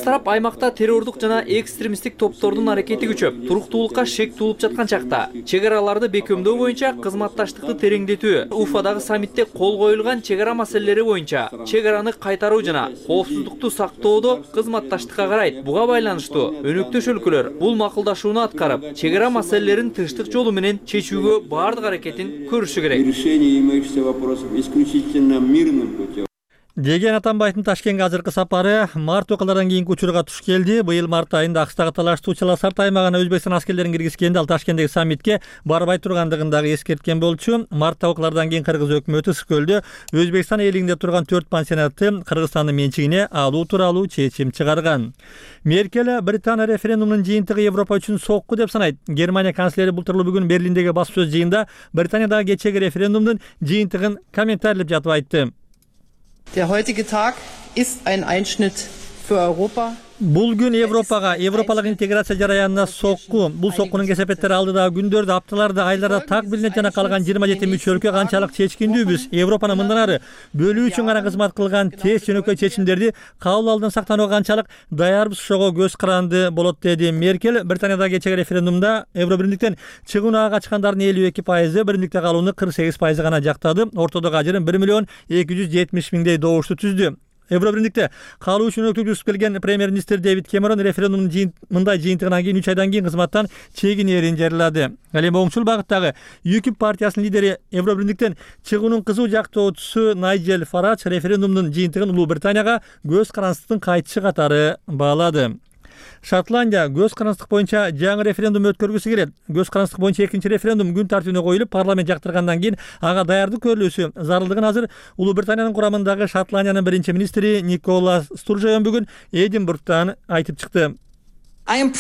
тарап аймакта террордук жана экстремисттик топтордун аракети күчөп, туруктуулукка шек туулуп жаткан чакта чек араларды бекемдөө боюнча кызматташтыкты тереңдетүү, Уфадагы саммитте кол коюлган чек ара маселелери боюнча чек араны кайтаруу жана коопсуздукту сактоодо кызматташтыкка карайт. Буга байланыштуу өнөктөш өлкөлөр бул макулдашууну аткарып, чек ара маселелерин тынчтык жолу менен чечүүгө баардык аракетин көрүшү керек деген Атамбаевдин Ташкентке азыркы сапары март окуялардан кийинки учурга туш келди. Быйыл март айында Акстагы талаштуу Чаласарт аймагына Өзбекстан аскерлерин киргизгенде ал Ташкенттеги саммитке барбай тургандыгын дагы эскерткен болчу. Мартта окуялардан кийин Кыргыз өкмөтү Ысыкөлдө Өзбекстан ээлигинде турган 4 пансионатты Кыргызстандын менчигине алуу тууралуу чечим чыгарган. Меркель Британия референдумунун жыйынтыгы Европа үчүн сокку деп санайт. Германия канцлери бултурлуу бүгүн Берлиндеги басма сөз жыйында Британиядагы кечеги референдумдун жыйынтыгын комментарлап жатып айтты. Der heutige Tag ist ein Einschnitt für Europa. Бул күн Европага, европалык интеграция жараянына сокку. Бул соккунун кесепеттери алдыдагы күндөрдө, апталарда, айларда так билинип жана калган 27 мүчө өлкө канчалык чечкиндүүбүз. Европаны мындан ары бөлүү үчүн гана кызмат кылган тез жөнөкөй чечимдерди кабыл алуудан сактанууга канчалык даярбыз, ошого көз каранды болот, деди Меркель. Британиядагы кечеги референдумда Евробиримдиктен чыгууга качкандардын 52%, биримдикте калууну 48% гана жактады. Ортодогу ажырым 1,270,000 добушту түздү. Евробиримдикте калуу үчүн өктүк келген премьер-министр Дэвид Кэмерон референдумдун мындай жыйынтыгынан кийин 3 айдан кийин кызматтан чегинерин жарыялады. Ал эми оңчул багыттагы ЮКИП партиясынын лидери Евробиримдиктен чыгуунун кызуу жактоочусу Найджел Фарадж референдумдун жыйынтыгын Улуу Британияга көз карандысыздын кайтышы катары баалады. Шотландия көз карандыстык боюнча жаңы референдум өткөргүсү келет. Көз карандыстык боюнча экинчи референдум күн тартибине коюлуп, парламент жактыргандан кийин ага даярдык көрүлүүсү зарылдыгын азыр Улуу Британиянын курамындагы Шотландиянын биринчи министри Никола Стуржеон бүгүн Эдинбургтан айтып чыкты. Мен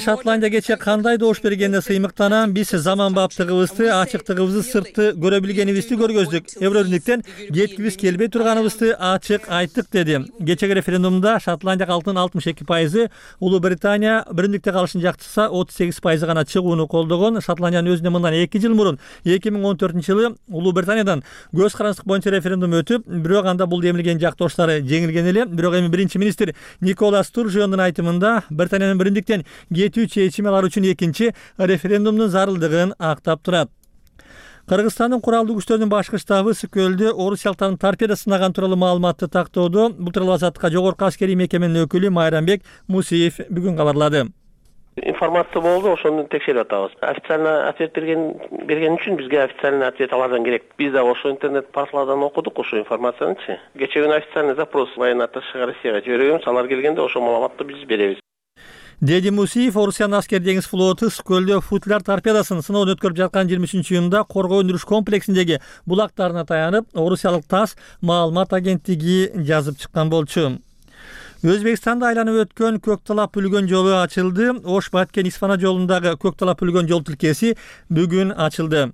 Шотландия кече кандай добуш бергенде сыймыктанам. Биз заманбаптыгыбызды, ачыктыгыбызды, сыртты көрө билгенибизди көргөздүк. Евробиримдиктен кеткибиз келбей турганыбызды ачык айттык, деди. Кечеги референдумда Шотландия калкынын 62%, Улуу Британия биримдикте калышын жактырса 38% гана чыгууну колдогон. Шотландиянын өзүнө мындан 2 жыл мурун 2014-жылы Улуу Британиядан көз карандыстык боюнча референдум өтүп, бирок анда бул демилген жактоштары жеңилген эле. Бирок биринчи министр Никола Стуржеондун айтымында Британиянын биримдиктен кетүү чечими алар үчүн экинчи референдумдун зарылдыгын актап турат. Кыргызстандын куралдуу күчтөрүнүн башкы штабы Ысыкөлдө орусиялыктардын торпеда сынаган тууралуу маалыматты тактоодо. Бул тууралуу Азаттыкка жогорку аскерий мекеменин өкүлү Майрамбек Мусиев бүгүн кабарлады. Информация болду, ошону текшерип атабыз. Официальный ответ берген үчүн бизге официальный ответ алардан керек. Биз да ошо интернет порталдардан окудук ошо информацияны. Кече күнү официальный запрос военно-атташега Россияга жиберебиз. Алар келгенде ошо маалыматты биз беребиз. Деди Мусиев Орусиянын аскер деңиз флоту Ысыкөлдө футляр торпедасын сыноодон өткөрүп жаткан 23-июнда коргоо өндүрүш комплексиндеги булактарына таянып, орусиялык ТАСС маалымат агенттиги жазып чыккан болчу. Өзбекстанда айланып өткөн Көктала Пүлгөн жолу ачылды. Ош Баткен Исфана жолундагы Көктала Пүлгөн жол тилкеси бүгүн ачылды.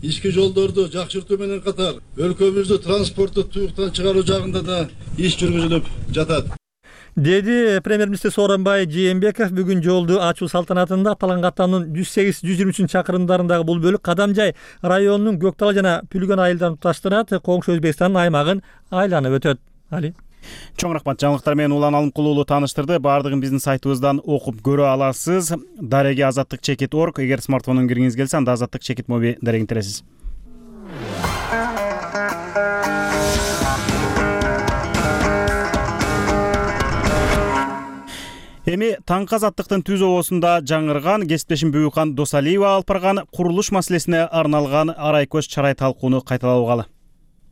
ички жолдорду жакшыртуу менен катар өлкөбүздү транспорттук туюктан чыгаруу жагында да иш жүргүзүлүп жатат, деди премьер-министр Сооронбай Жээнбеков бүгүн жолду ачуу салтанатында. Аталган каттамдын 108-123 чакырымдарындагы бул бөлүк Кадамжай районунун Көктала жана Пүлгөн айылдарын туташтырат. Коңшу Өзбекстандын аймагын айланып өтөт. Али чоң рахмат. Жаңылыктар менен Улан Алымкул уулу тааныштырды. Баардыгын биздин сайтыбыздан окуп көрө аласыз. Дареги azatlyk.org. Эгер смартфонун киргиңиз келсе, анда Азаттык чекит моби дарегин тересиз. Эми таңкы азаттыктын түз обосунда жаңырган кесиптешим Бүгүкан Досалиева алып барган курулуш маселесине арналган арай көз чарай талкууну кайталап алгалы.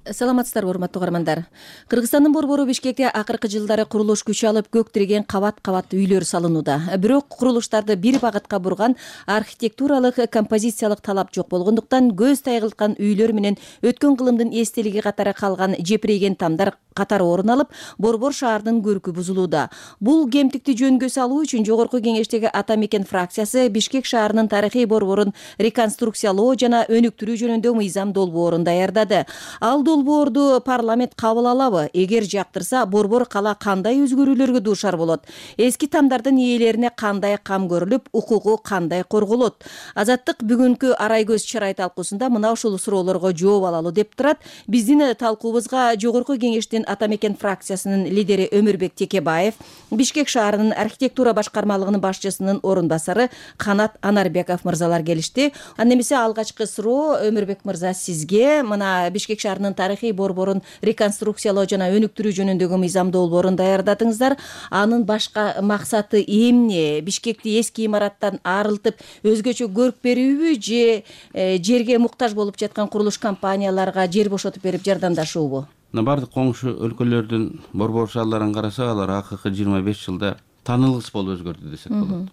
Саламатсыздарбы, урматтуу угармандар. Кыргызстандын борбору Бишкекте акыркы жылдары курулуш күч алып көк тиреген кабат-кабат үйлөр салынууда. Бирок курулуштарды бир багытка бурган архитектуралык композициялык талап жок болгондуктан көз тайгылткан үйлөр менен өткөн кылымдын эстелиги катары калган жепирейген тамдар катары орун алып, борбор шаардын көркү бузулууда. Бул кемтикти жөнгө салуу үчүн жогорку кеңештеги Ата Мекен фракциясы Бишкек шаарынын тарыхый борборун реконструкциялоо жана өнүктүрүү жөнүндө мыйзам долбоорун даярдады. Ал долбоорду парламент кабыл алабы? Эгер жактырса, борбор кала кандай өзгөрүүлөргө дуушар болот? Эски тамдардын ээлерине кандай кам көрүлүп, укугу кандай корголот? Азаттык бүгүнкү арай көз чарай талкуусунда мына ушул суроолорго жооп алалы деп турат. Биздин талкуубузга жогорку кеңештин Ата Мекен фракциясынын лидери Өмүрбек Текебаев, Бишкек шаарынын архитектура башкармалыгынын башчысынын орун басары Канат Анарбеков мырзалар келишти. Анда эмесе алгачкы суроо Өмүрбек мырза сизге. Мына Бишкек шаарынын тарыхый борборун реконструкциялоо жана өнүктүрүү жөнүндөгү мыйзам долбоорун даярдадыңыздар. Анын башка максаты эмне? Бишкекти эски имараттан арылтып, өзгөчө көрк берүүбү же жерге муктаж болуп жаткан курулуш компанияларга жер бошотуп берип жардамдашуубу? Бардык коңшу өлкөлөрдүн борбор шаарларын карасак, алар акыркы 25 жылда таанылгыс болуп өзгөрдү десек болот.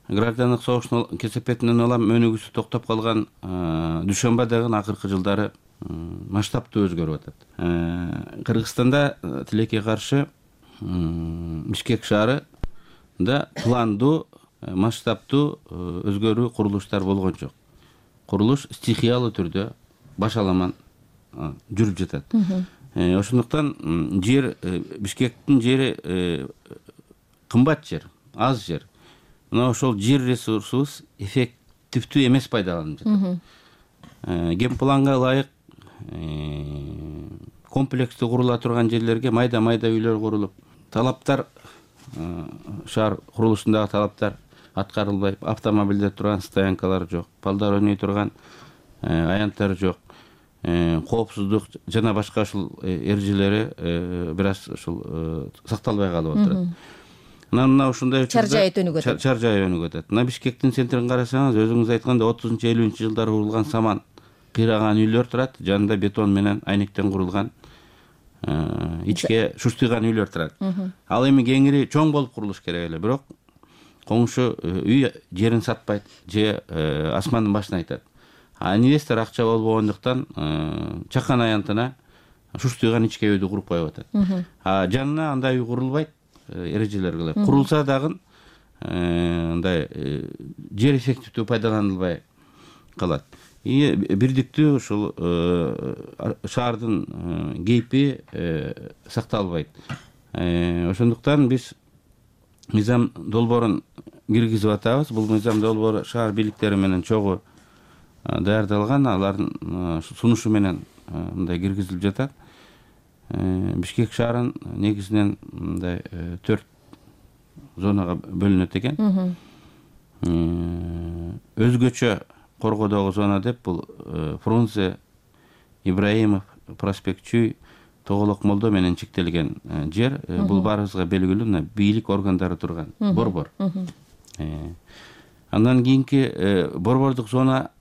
Граждандык согуштун кесепетинен улам өнүгүүсү токтоп калган Дүйшөмбө дагы акыркы жылдары масштабтуу өзгөрүп атат. Кыргызстанда тилекке каршы Бишкек шаарында пландуу, масштабтуу өзгөрүү курулуштар болгон жок. Курулуш стихиялуу түрдө башаламан жүрүп жатат. Ошондуктан жер, Бишкектин жери кымбат жер, аз жер. Мына ошол жер ресурсубуз эффективдүү эмес пайдаланып жатат. Генпланга ылайык комплекстүү курула турган жерлерге майда-майда үйлөр курулуп, талаптар, шаар курулушундагы талаптар аткарылбай, автомобилдер турган стоянкалар жок, балдар ойной турган аянттар жок. Коопсуздук жана башка ушул эрежелери бир аз ушул сакталбай калып отурат. Мына ушундай чаржай өнүгүп атат. Мына Бишкектин центрин карасаңыз, өзүңүз айткандай 30-50 жылдары курулган саман кыйраган үйлөр турат, жанында бетон менен айнектен курулган ичке шуштыйган үйлөр турат. Ал эми кеңири чоң болуп курулуш керек эле, бирок коңшу үй жерин сатпайт же асмандын башын айтат. Инвестор акча болбогондуктан чакан аянтына шуштыйган ичке үйдү куруп коюп атат. Жанына андай үй курулбайт, эрежелер кылып. Курулса дагы андай жер эффективдүү пайдаланылбай калат. Бирдиктүү ушул шаардын кейпи сакталбайт. Ошондуктан биз мыйзам долбоорун киргизип атабыз. Бул мыйзам долбоору шаар бийликтери менен чогуу даярдалган, алардын сунушу менен мындай киргизилип жатат. Бишкек шаарын негизинен мындай 4 зонага бөлүнөт экен. Өзгөчө коргоодогу зона деп бул Фрунзе, Ибраимов, Проспект Чүй, Тоголок Молдо менен чектелген жер. Бул баарыбызга белгилүү, бийлик органдары турган борбор. Андан кийинки борбордук зона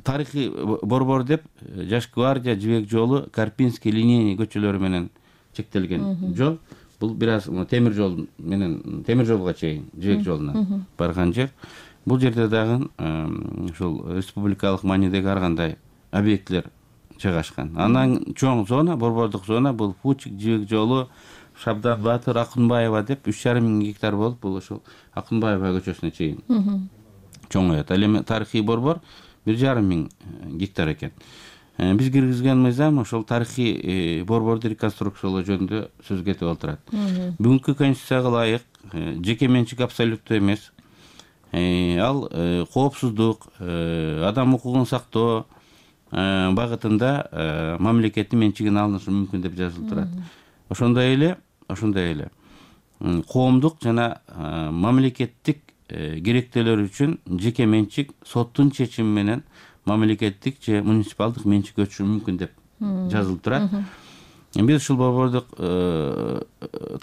тарыхый борбор деп Жаш гвардия, Жибек жолу, Карпинский, Линейный көчөлөрү менен чектелген жол. Бул бир аз темир жол менен темир жолго чейин Жибек жолуна барган жер. Бул жерде дагы ушул республикалык маанидеги ар кандай объектлер жайгашкан. Андан чоң зона, борбордук зона бул Пучик, Жибек жолу, Шабдан Батыр, Акунбаева деп 3,5 мың гектар болуп, бул ушул Акунбаева көчөсүнө чейин чоңоет. Ал эми тарыхый борбор 1,5 миң гектар экен. Биз киргизген мыйзам ошол тарыхый борборду реконструкциялоо жөнүндө сөз кетип отурат. Бүгүнкү конституцияга ылайык жеке менчик абсолюттуу эмес. Ал коопсуздук, адам укугун сактоо багытында мамлекеттин менчигин алынышы мүмкүн деп жазылып турат. Ошондой эле коомдук жана мамлекеттик керектелер үчүн жеке менчик соттун чечими менен мамлекеттик же муниципалдык менчикке өтүшү мүмкүн деп жазылып турат. Биз ушул борбордук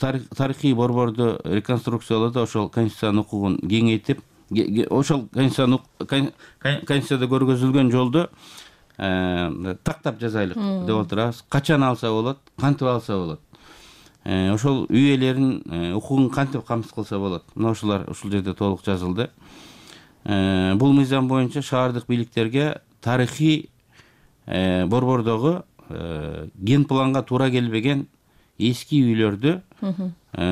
тарыхый борборду реконструкциялоодо ошол конституциянын укугун кеңейтип, ошол конституцияда көргөзүлгөн жолду тактап жазайлык деп отурабыз. Качан алса болот, кантип алса болот. Ошол үй ээлеринин укугун кантип камсыз кылса болот. Мына ушулар ушул жерде толук жазылды. Бул мыйзам боюнча шаардык бийликтерге тарыхый борбордогу ген планга туура келбеген эски үйлөрдү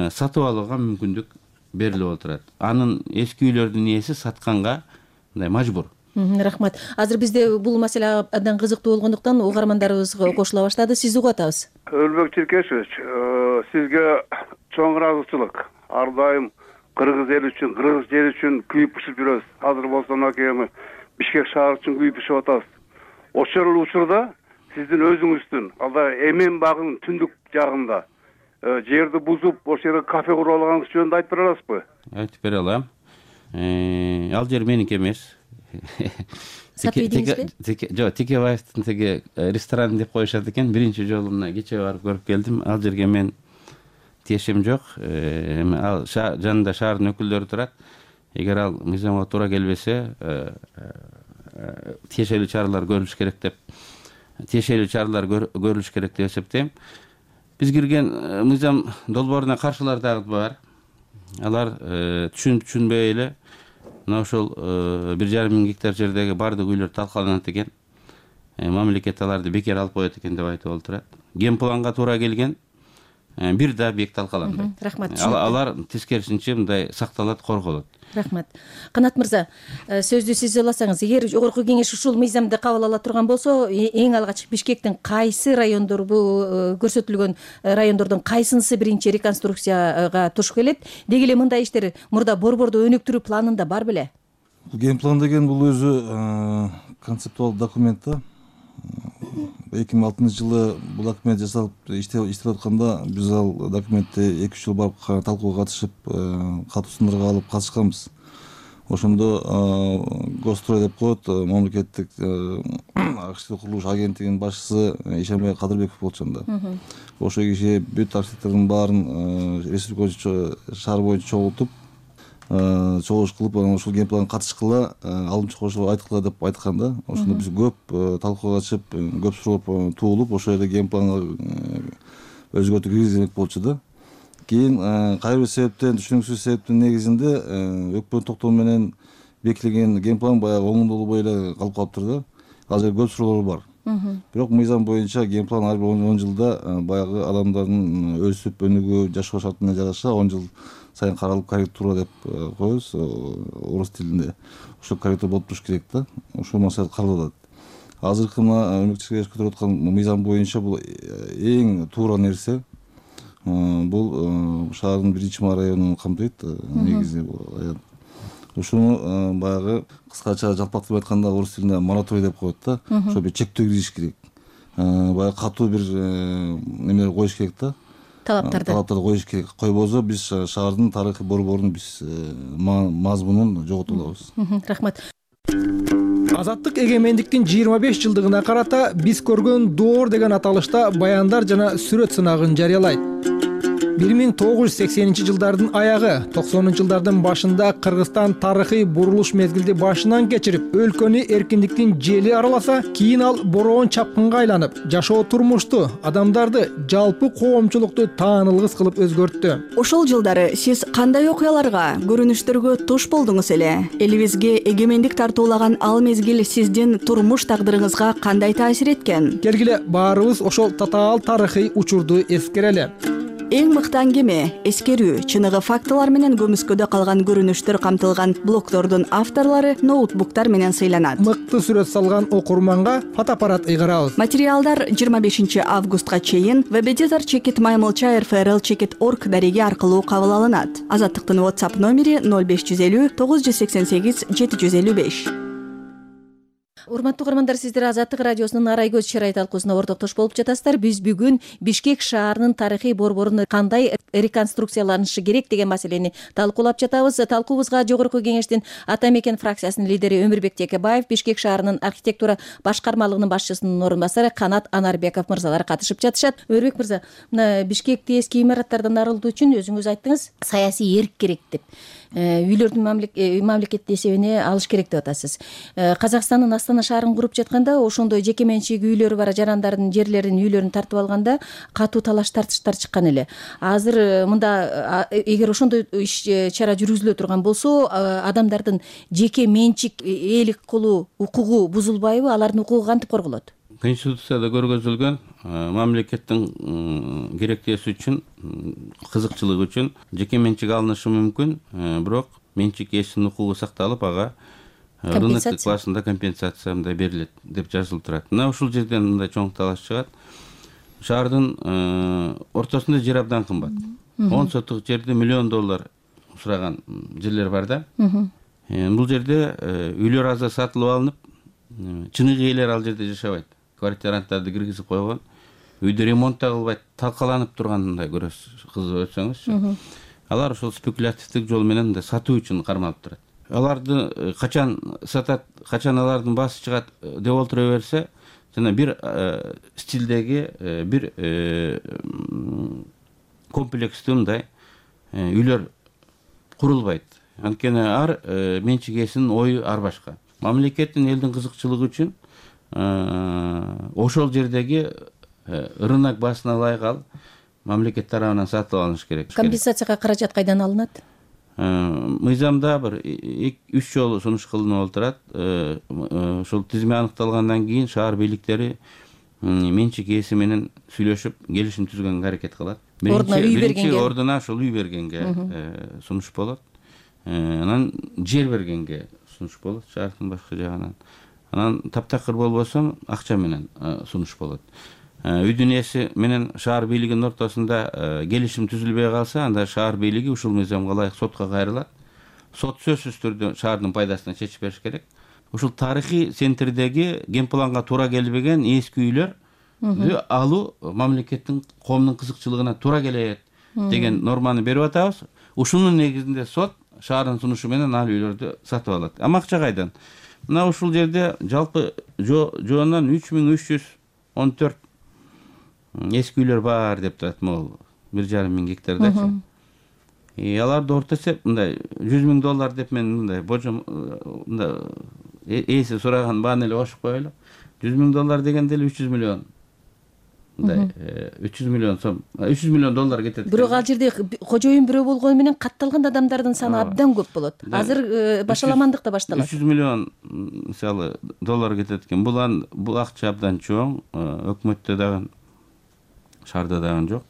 сатып алууга мүмкүндүк берилип отурат. Анын эски үйлөрдүн ээси сатканга мындай мажбур. Рахмат. Азыр бизде бул маселе абдан кызыктуу болгондуктан угармандарыбыз кошула баштады. Сизди угуп атабыз. Өлбөк Черкешевич, сизге чоң ыраазычылык. Ар дайым кыргыз эли үчүн, кыргыз жери үчүн күйүп пышып жүрөбүз. Азыр болсо мынакей Бишкек шаары үчүн күйүп пышып атабыз. Ошол учурда сиздин өзүңүздүн алда Эмен багынын түндүк жагында жерди бузуп, ошол жерде кафе куруп алганыңыз жөнүндө айтып бере аласызбы? Айтып бере алам. Ал жер меники эмес. Жок, Текебаевдин теге ресторан деп коюшат экен. Биринчи жолу мына кечээ барып көрүп келдим. Ал жерге мен тиешем жок. Ал жанында шаардын өкүлдөрү турат. Эгер ал мыйзамга туура келбесе, тиешелүү чаралар көрүлүш керек деп эсептейм. Биз кирген мыйзам долбооруна каршылар дагы бар. Алар түшүнбөй эле мына ошол 1,5 миң гектар жердеги бардык үйлөр талкаланат экен. Мамлекет аларды бекер алып коет экен деп айтып отурат. Ген планга туура келген бир да объект талкаланбайт. Рахмат. Алар тескерисинче мындай сакталат, корголот. Рахмат. Канат мырза, сөздү сиз аласаңыз, эгер жогорку кеңеш ушул мыйзамды кабыл ала турган болсо, эң алгач Бишкектин кайсы райондор, бул көрсөтүлгөн райондордун кайсынысы биринчи реконструкцияга туш келет? Деги эле мындай иштер мурда борборду өнүктүрүү планында бар беле? Ген план деген бул өзү концептуал документ да. 2006 жылы бул документ жасалып иштеп атканда биз ал документти 2 жыл барып талкууга катышып, катуусундарга алып катышканбыз. Ошондо Гострой деп коет, мамлекеттик архитектура курулуш агенттигинин башчысы Ишенбай Кадырбеков болчу анда. Ошол киши бүт архитектордун баарын республика шаар боюнча чогултуп, чогулуш кылып, ушул ген планга катышкыла, алымчы кошуп айткыла деп айткан да. Ошондо биз көп талкууга катышып, көп суроо туулуп, ошол жерде ген планга өзгөртүү киргизмек болчу да. Кийин кайра бир себептен, түшүнүксүз себептин негизинде өкмөт токтому менен бекитилген ген план баягы оңдолбой эле калып калыптыр да. Ал жерде көп суроолор бар. Бирок мыйзам боюнча ген план ар бир 10 жылда баягы адамдардын өсүп өнүгүү, жашоо шартына жараша 10 жыл сайын каралып корректура деп коебуз орус тилинде. Ошол корректура болуп туруш керек да. Ошол маселе каралат. Азыркы мына өнөктүрүп көтөрүп аткан мыйзам боюнча бул эң туура нерсе. Бул шаардын 1-районун камтыйт негизи аят. Ушуну баягы кыскача жалпактап айтканда орус тилинде мораторий деп коет да. Ошо бир чектөө киргизиш керек. Баягы катуу бир немелер коюш керек да. Талаптарды коюш керек. Койбосо биз шаардын тарыхый борборун биз мазмунун жоготуп алабыз. Рахмат. Азаттык эгемендиктин 25 жылдыгына карата биз көргөн доор деген аталышта баяндар жана сүрөт сынагын жарыялайт. 1980-жылдардын аягы, 90-жылдардын башында Кыргызстан тарыхый бурулуш мезгилди башынан кечирип, өлкөнү эркиндиктин жели араласа, кийин ал бороон чапкынга айланып, жашоо турмушту, адамдарды, жалпы коомчулукту таанылгыс кылып өзгөрттү. Ошол жылдары сиз кандай окуяларга, көрүнүштөргө туш болдуңуз эле? Элибизге эгемендик тартуулаган ал мезгил сиздин турмуш тагдырыңызга кандай таасир эткен? Келгиле баарыбыз ошол татаал тарыхый учурду эскерели. Эң мыкты аңгеме, эскерүү, чыныгы фактылар менен көмүскөдө калган көрүнүштөр камтылган блогдордун авторлору ноутбуктар менен сыйланат. Мыкты сүрөт салган окурманга фотоаппарат ыйгарабыз. Материалдар 25 августка чейин webeditor@maymolcha.rfrl.org дареги аркылуу кабыл алынат. Азаттыктын WhatsApp номери 0550 988 755. Урматтуу угармандар, сиздер Азаттык радиосунун Арай көз чырай талкуусуна ортоктош болуп жатасыздар. Биз бүгүн Бишкек шаарынын тарыхый борборун кандай реконструкцияланышы керек деген маселени талкуулап жатабыз. Талкуубузга Жогорку Кеңештин Ата Мекен фракциясынын лидери Өмүрбек Текебаев, Бишкек шаарынын архитектура башкармалыгынын башчысынын орун басары Канат Анарбеков мырзалар катышып жатышат. Өмүрбек мырза, мына Бишкекти эски имараттардан арылтуу үчүн өзүңүз айттыңыз, саясий эрк керек деп. Үйлөрдүн мамлекеттин эсебине алыш керек деп атасыз. Казакстандын Астана шаарын куруп жатканда ошондой жеке менчик үйлөрү бар жарандардын жерлерин, үйлөрүн тартып алганда катуу талаш тартыштар чыккан эле. Азыр мында эгер ошондой иш-чара жүргүзүлө турган болсо, адамдардын жеке менчик ээлик кылуу укугу бузулбайбы? Алардын укугу кантип корголот? Конституцияда көргөзүлгөн мамлекеттин керектеси үчүн, кызыкчылыгы үчүн жеке менчик алынышы мүмкүн, бирок менчик ээсинин укугу сакталып, ага рыноктук базасында компенсация мындай берилет деп жазылып турат. Мына ушул жерден мындай чоң талаш чыгат. Шаардын ортосунда жер абдан кымбат. 10 сотук жерде $1 миллион сураган жерлер бар да. Бул жерде үйлөр азыр сатылып алынып, чыныгы ээлер ал жерде жашабайт. Квартиранттарды киргизип койгон, үйдө ремонт да кылбайт, талкаланып тургандай көрөсүз, кызып өтсөңүзчү. Алар ошол спекулятивдик жол менен мындай сатуу үчүн кармалып турат. Аларды качан сатат, качан алардын баасы чыгат деп олтура берсе, жана бир стилдеги бир комплекстүү мындай үйлөр курулбайт. Анткени ар менчик ээсинин ою ар башка. Мамлекеттин элдин кызыкчылыгы үчүн ошол жердеги рынок баасына ылайык алып, мамлекет тарабынан сатып алыныш керек. Компенсацияга каражат кайдан алынат? Мыйзамда бир 3 жолу сунуш кылынып олтурат. Ошол тизме аныкталгандан кийин шаар бийликтери менчик ээси менен сүйлөшүп, келишим түзгөнгө аракет кылат. Биринчи ордуна ошол үй бергенге сунуш болот. Анан жер бергенге сунуш болот шаардын башка жагынан. Анан таптакыр болбосо акча менен сунуш болот. Үйдүн ээси менен шаар бийлигинин ортосунда келишим түзүлбөй калса, анда шаар бийлиги ушул мыйзамга ылайык сотко кайрылат. Сот сөзсүз түрдө шаардын пайдасына чечип бериш керек. Ушул тарыхый центрдеги генпланга туура келбеген эски үйлөрдү алуу мамлекеттин коомдун кызыкчылыгына туура келет деген норманы берип атабыз. Ушунун негизинде сот шаардын сунушу менен ал үйлөрдү сатып алат. Ама акча кайдан? Мына ушул жерде жалпы жоондан 3314 эски үйлөр бар деп турат, могул 1,5 миң гектардачы. Аларды орто эсеп мындай $100 000 деп мен мындай божом мындай ээси сураган бааны эле кошуп коелу. $100 000 дегенде эле 300 миллион. Мындай 300 миллион сом, $300 миллион кетет. Бирок ал жерде кожоюн бирөө болгону менен катталган адамдардын саны абдан көп болот. Азыр башаламандык да башталат. 300 миллион мисалы доллар кетет экен. Бул акча абдан чоң, өкмөттө дагы шаарда дагы жок.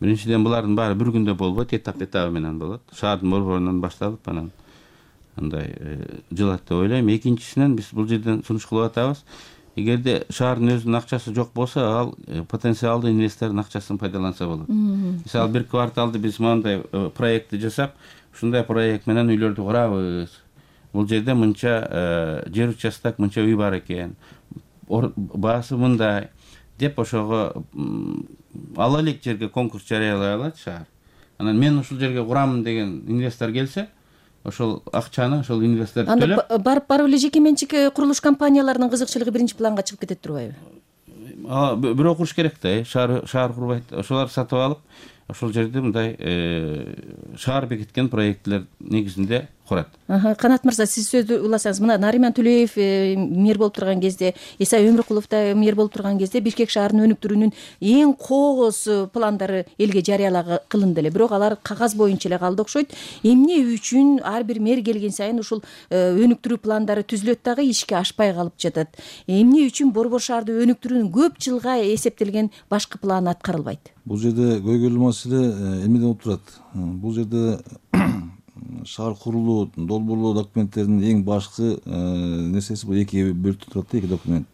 Биринчиден булардын баары бир күндө болбойт, этап менен болот. Шаардын борборунан башталып, анан андай жылат деп ойлойм. Экинчисинен биз бул жерден сунуш кылып атабыз. Эгерде шаардын өзүнүн акчасы жок болсо, ал потенциалдуу инвестордун акчасын пайдаланса болот. Мисалы бир кварталды биз мындай проектти жасап, ушундай проект менен үйлөрдү курабыз. Бул жерде мынча жер участок, мынча үй бар экен. Баасы мындай деп ошого ала элек жерге конкурс жарыялай алат шаар. Анан мен ушул жерге курамын деген инвестор келсе, ошол акчаны ошол инвестор төлөп, барып эле жеке менчик курулуш компанияларынын кызыкчылыгы биринчи планга чыгып кетет турбайбы? Бирөө куруш керек да, шаар курбайт. Ошолар сатып алып, ошол жерде мындай шаар бекиткен проекттер негизинде курат. Канат мырза, сиз сөздү уласаңыз, мына Нариман Төлөев мэр болуп турган кезде, Исай Өмүркулов да мэр болуп турган кезде Бишкек шаарынын өнүктүрүүнүн эң кооз пландары элге жарыялаа кылынды эле. Бирок алар кагаз боюнча эле калды окшойт. Эмне үчүн ар бир мэр келген сайын ушул өнүктүрүү пландары түзүлөт дагы ишке ашпай калып жатат? Эмне үчүн борбор шаарды өнүктүрүүнүн көп жылга эсептелген башкы планы аткарылбайт? Бул жерде көйгөйлүү маселе эмнеден болуп турат? Бул жерде шаар курулуу, долбоорлоо документтеринин эң башкы нерсеси бул эки бөлүктөн турат да, эки документ.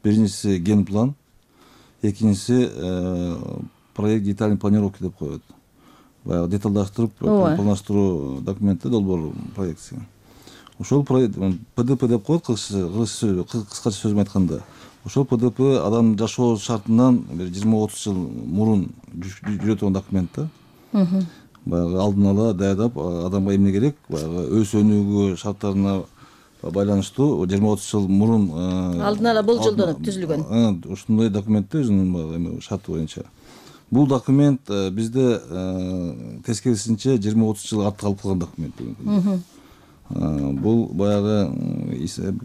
Биринчиси ген план, экинчиси проект детальный планировки деп коет. Баягы деталдаштырып, пландаштыруу документи долбоор проекти. Ошол ПДП деп коет кыскача сөз менен айтканда. Ошол ПДП адам жашоо шартынан бир 20-30 жыл мурун жүрө турган документ да. Баягы алдын ала даярдап, адамга эмне керек, баягы өз өнүгүү шарттарына байланыштуу 20-30 жыл мурун алдын ала болжолдонуп түзүлгөн. Ушундай документ өзүнүн шарты боюнча. Бул документ бизде тескерисинче 20-30 жыл артка калып калган документ. Бул баягы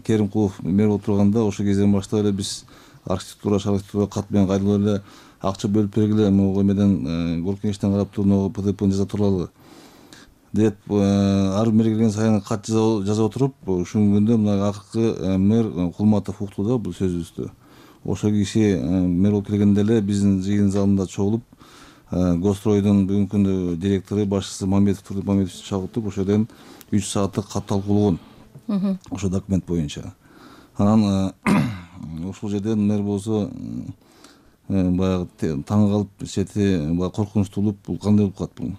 Керимкулов мэр болуп турганда ошол кезден баштап эле биз архитектура кат менен кайдылуу эле акча бөлүп бергиле, могу эмеден Горкеничтен карап туруп ПДПны жаза туралы деп ар мэр келген сайын кат жаза отуруп, ушул күндө мына акыркы мэр Кулматов укту да бул сөзүбүздү. Ошол киши мэр болуп келгенде эле биздин жыйын залында чогулуп, Гостройдун бүгүнкү күндө директору башчысы Мамедовди чагыртып, ошол жерден 3 сааттык кат талкуулаган. Ошол документ боюнча. Анан ошол жерден мэр болсо баягы таң калып, сети баягы коркунучтуу болуп, бул кандай болуп калат бул?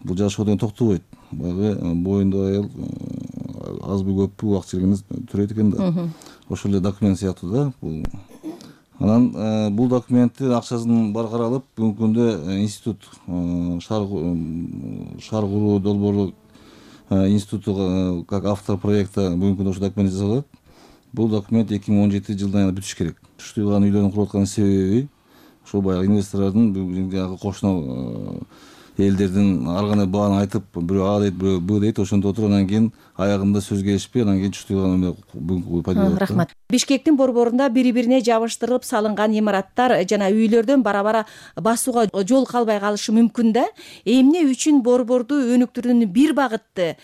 Бул жашоо деген токтобойт. Баягы боюнда аял азбы көппү убакыт келгенде төрөйт экен да. Ошол эле документ сыяктуу да бул. Анан бул документтин акчасын бар каралып, бүгүнкү күндө институт шаар куруу долбоорлук институту как автор проекта бүгүнкү күндө ошол документ жасалат. Бул документ 2017 жылдан бүтүш керек. Түштүган үйлөрдүн куруп аткан себеби ошол баягы инвесторлордун бүгүнкү кошуна элдердин ар кандай бааны айтып, бирөө А дейт, бирөө Б дейт, ошондо отуруп анан кийин аягында сөз келишпей, анан кийин түштүган бүгүнкү пайда болот. Рахмат. Бишкектин борборунда бири-бирине жабыштырылып салынган имараттар жана үйлөрдөн бара-бара басууга жол калбай калышы мүмкүн да. Эмне үчүн борборду өнүктүрүүнүн бир багытты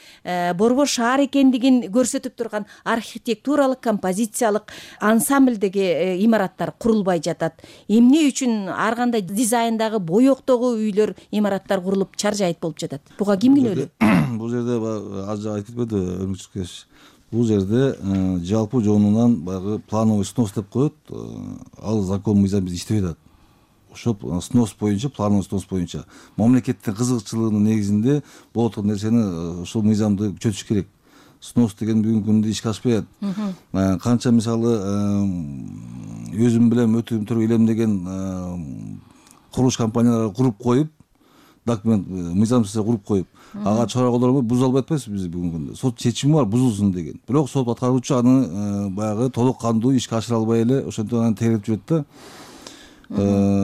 борбор шаар экендигин көрсөтүп турган архитектуралык, композициялык ансамблдеги имараттар курулбай жатат? Эмне үчүн ар кандай дизайндагы, боёктогу үйлөр, имараттар курулуп чаржайыт болуп жатат? Буга ким күнөөлүү? Бул жерде азыр айтып кетпеди Өрмүкчүкеш. Бул жерде жалпы жонунан баягы плановый снос деп коет. Ал закон мыйзам биз иштебей атат. Ошол снос боюнча, плановый снос боюнча мамлекеттин кызыкчылыгынын негизинде болот турган нерсени ошол мыйзамды күчөтүш керек. Снос деген бүгүнкү күндө ишке ашпай атат. Канча мисалы өзүм билем өтүм илемдеген курулуш компаниялары куруп коюп, документ мыйзамсыз куруп коюп, ага чара колдонбой буза албай атпайбызбы биз бүгүнкү күндө? Сот чечими бар бузулсун деген. Бирок сот аткаруучу аны баягы толук кандуу ишке ашыра албай эле ошентип аны тегерип жүрөт да.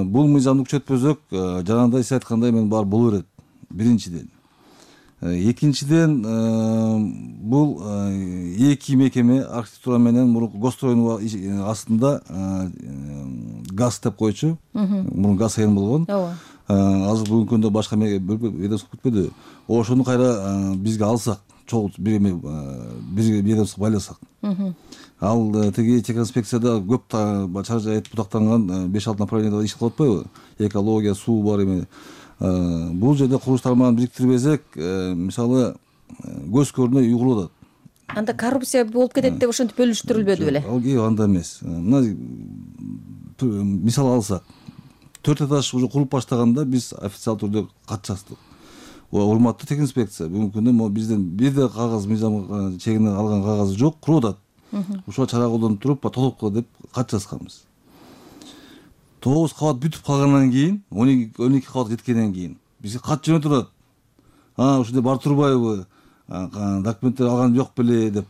Бул мыйзамды күчөтпөсөк, жанагындай сиз айткандай эмен баары боло берет. Биринчиден. Экинчиден, бул эки мекеме архитектура менен мурунку Гостройдун астында газ деп койчу. Мурун газ айын болгон. Азыр бүгүнкү күндө башка ведомство кетпеди. Ошону кайра бизге алсак, чогуу бир ведомство байласак. Ал тиги техинспекцияда көп чаржайып бутактанган 5-6 направлениеде иш кылып атпайбы? Экология, суу бар эме. Бул жерде курулуш тармагын бириктирбесек, мисалы көз көрүнө үй курулуп атат. Анда коррупция болуп кетет деп ошентип бөлүштүрүлбөдү беле? Анда эмес. Мына мисал алсак, 4 этаж уже куруп баштаганда биз официалдуу түрдө кат жаздык. Урматтуу техинспекция, бүгүнкү күндө бизден бир да кагаз мыйзам чегинен алган кагазы жок, куруп атат. Ушуга чара колдонуп туруп, толук кыла деп кат жазганбыз. 9 кабат бүтүп калгандан кийин, 12 кабат жеткенден кийин бизге кат жөнөтүп турат. Ушундай бар турбайбы? Документтер алган жок беле деп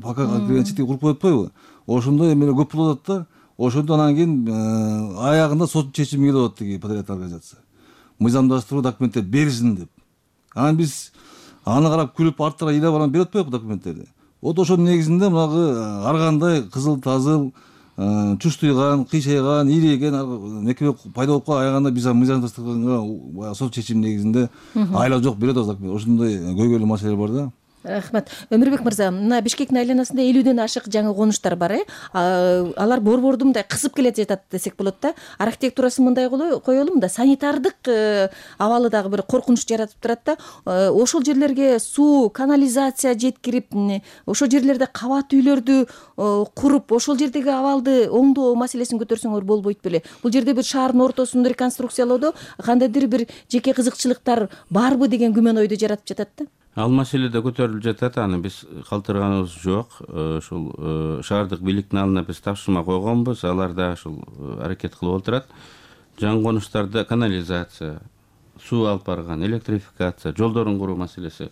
пока кирген чети куруп коюп атпайбы? Ошондой эмелер көп болуп атат да. Ошондо анан кийин аягында сот чечими келип атат тиги подрядный организация. Мыйзамдаштыруу документтер беришин деп. Анан биз аны карап күлүп арттара ыйлап анан берип атпайбы документтерди. Вот ошонун негизинде мынагы ар кандай кызыл тазыл, чуштуйган, кыйшайган, ийреген мекеме пайда болуп калып аягында биз мыйзамдаштырганга сот чечими негизинде айла жок берет документ. Ошондой көйгөйлүү маселелер бар да. Рахмат. Өмүрбек мырза, мына Бишкектин айланасында 50ден ашык жаңы конуштар бар, алар борборду мындай кысып келе жатат десек болот да. Архитектурасын мындай коелу, мында санитардык абалы дагы бир коркунуч жаратып турат да. Ошол жерлерге суу, канализация жеткирип, ошол жерлерде кабат үйлөрдү куруп, ошол жердеги абалды оңдоо маселесин көтөрсөңөр болбойт беле? Бул жерде бир шаардын ортосунду реконструкциялоодо кандайдыр бир жеке кызыкчылыктар барбы деген күмөн ойду жаратып жатат да. Ал маселе да көтөрүлүп жатат, аны биз калтырганыбыз жок. Ушул шаардык бийликтин алдына биз тапшырма койгонбуз, алар да ушул аракет кылып отурат. Жаңы конуштарда канализация, суу алып барган, электрификация, жолдорун куруу маселеси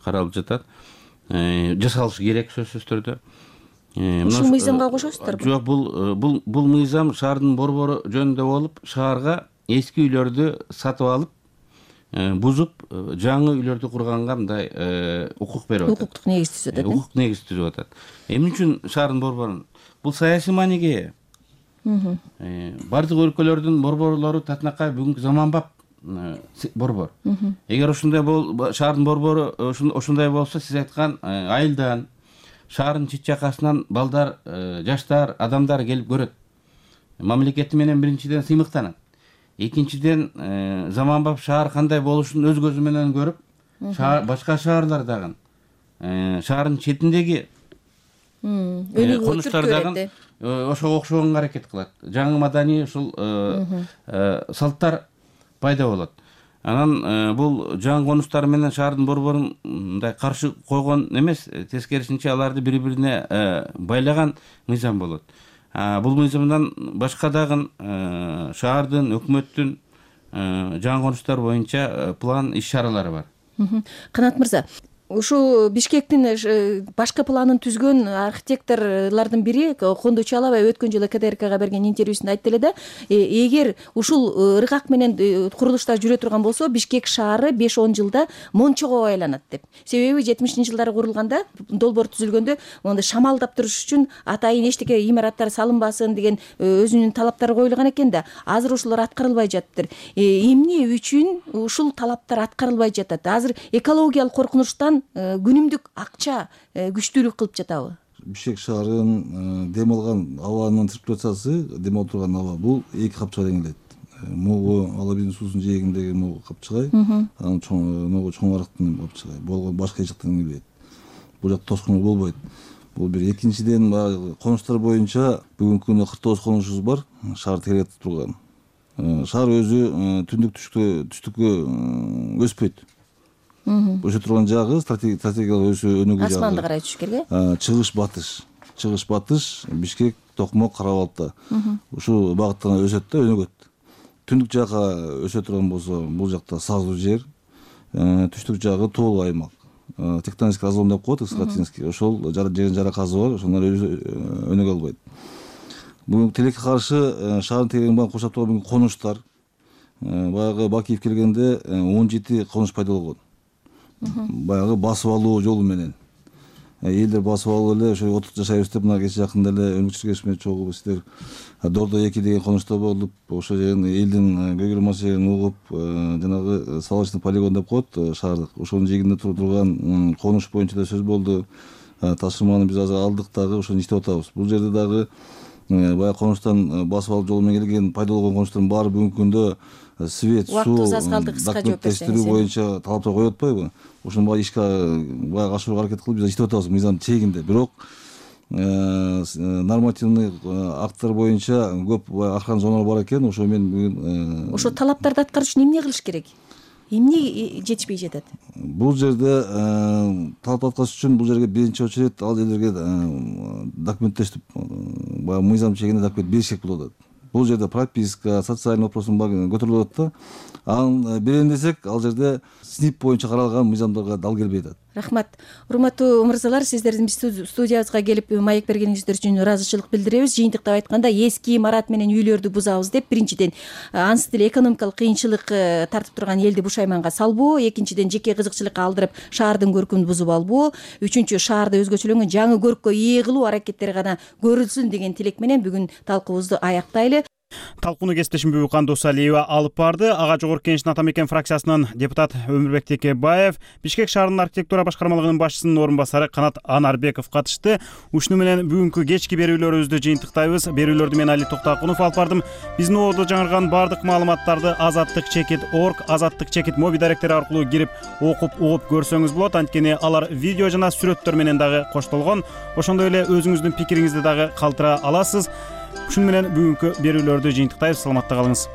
каралып жатат. Жасалышы керек сөзсүз түрдө. Ушул мыйзамга кошосуздарбы? Жок, бул мыйзам шаардын борбору жөнүндө болуп, шаарга эски үйлөрдү сатып алып, бузуп, жаңы үйлөрдү курганга мындай укук берип атат. Укуктук негиз түзүп атат. Укук негиз түзүп атат. Эмне үчүн шаардын борборун? Бул саясий мааниге. Бардык өлкөлөрдүн борборлору татынакай бүгүнкү заманбап борбор. Эгер ушундай шаардын борбору ошондой болсо, сиз айткан айылдан, шаардын чет жакасынан балдар, жаштар, адамдар келип көрөт. Мамлекети менен биринчиден сыймыктанат. Экинчиден заманбап шаар кандай болушун өз көзү менен көрүп, башка шаарлардагы шаардын четиндеги конуштардагы ошого окшогонго аракет кылат. Жаңы маданий ушул салттар пайда болот. Анан бул жаңы конуштар менен шаардын борборун мындай каршы койгон эмес, тескерисинче аларды бири-бирине байлаган мыйзам болот. Бул мыйзамдан башка дагы шаардын, өкмөттүн жаңы конуштар боюнча план иш-чаралары бар. Канат мырза, ушу Бишкектин башкы планын түзгөн архитекторлордун бири Кондо Чалабай өткөн жылы КТРКга берген интервьюсунда айтты эле да, эгер ушул ыргак менен курулуштар жүрө турган болсо, Бишкек шаары 5-10 жылда Мончого айланат деп. Себеби 70-жылдары курулганда, долбоор түзүлгөндө, монда шамалдап туруш үчүн атайын эчтеке имараттар салынбасын деген өзүнүн талаптары коюлган экен да. Азыр ошолор аткарылбай жатыптыр. Эмне үчүн ушул талаптар аткарылбай жатат? Азыр экологиялык коркунучтан күнүмдүк акча күчтүүлүк кылып жатабы? Бишкек шаарынын дем алган абанын циркуляциясы, дем алып турган аба, бул эки капчыга теңелет. Могу Алабиздин суусунун жээгиндеги могу капчыгай, анан могу чоң арыктын капчыгай, болгон башка эч жактан келбейт. Бул жакта тоскоолдук болбойт. Бул бир. Экинчиден, конуштар боюнча бүгүнкү күндө 49 конушубуз бар, шаар тегеретип турган. Шаар өзү түштүккө өспөйт. Өсө турган жагы стратегиялык өсүү өнүгүү жагы. Асманды карай түшүш керек. Чыгыш батыш, Бишкек, Токмок, Кара-Балта. Ушул багыттан өсөт да, өнүгөт. Түндүк жакка өсө турган болсо, бул жакта саздуу жер, түштүк жагы тоолуу аймак. Тектоник разлом деп коет, Скатинский. Ошол жердин жара казы бар, ошондор өнүгө албайт. Бүгүнкү тилекке каршы шаардын тегерегин менен курчап турган конуштар, баягы Бакиев келгенде 17 конуш пайда болгон. Баягы басып алуу жолу менен. Элдер басып алып эле ошо отур жашайбыз деп, мына кече жакында эле өнүкчүлүк кеңешине чогуу сиздер Дордо 2 деген конушта болуп, ошо жердин элдин көйгөй маселелерин угуп, жанагы салочный полигон деп коет шаардык. Ошонун жээгинде турган конуш боюнча да сөз болду. Тапшырманы биз азыр алдык дагы, ошону иштеп атабыз. Бул жерде дагы баягы конуштан басып алып жолу менен келген пайда болгон конуштардын баары бүгүнкү күндө свет, суу, документтештирүү боюнча талаптар коюп атпайбы? Ошону баягы ишке баягы ашырууга аракет кылып биз иштеп атабыз мыйзамдын чегинде. Бирок нормативный акттар боюнча көп аркан зоналар бар экен. Ошо мен бүгүн ошо талаптарды аткарыш үчүн эмне кылыш керек? Эмне жетишпей жатат? Бул жерде талап аткарыш үчүн бул жерге биринчи очередь ал элдерге документтештип, баягы мыйзам чегинде документ бериш керек болуп атат. Бул жерде прописка, социальный вопростун баары көтөрүлүп атат да. Анын берем десек, ал жерде СНИП боюнча каралган мыйзамдарга дал келбей атат. Рахмат. Урматтуу мырзалар, сиздердин студиябызга келип маек бергениңиздер үчүн ыраазычылык билдиребиз. Жыйынтыктап айтканда, эски имарат менен үйлөрдү бузабыз деп, биринчиден ансы деле экономикалык кыйынчылык тартып турган элди бушайманга салбоо, экинчиден жеке кызыкчылыкка алдырып шаардын көркүмүн бузуп албоо, үчүнчү шаарды өзгөчөлөнгөн жаңы көрккө ээ кылуу аракеттери гана көрүлсүн деген тилек менен бүгүн талкуубузду аяктайлы. Талкууну кесиптешим Бүбүкан Досалиева алып барды. Ага жогорку кеңештин ата мекен фракциясынын депутат Өмүрбек Текебаев, Бишкек шаарынын архитектура башкармалыгынын башчысынын орун басары Канат Анарбеков катышты. Ушуну менен бүгүнкү кечки берүүлөрүбүздү жыйынтыктайбыз. Берүүлөрдү мен Али Токтакунов алып бардым. Биздин ободо жаңырган бардык маалыматтарды azattikchekit.org, Azattik моби даректери аркылуу кирип окуп угуп көрсөңүз болот. Анткени алар видео жана сүрөттөр менен дагы коштолгон. Ошондой эле өзүңүздүн пикириңизди дагы калтыра аласыз. Ушуну менен бүгүнкү берүүлөрдү жыйынтыктайбыз. Саламатта калыңыз.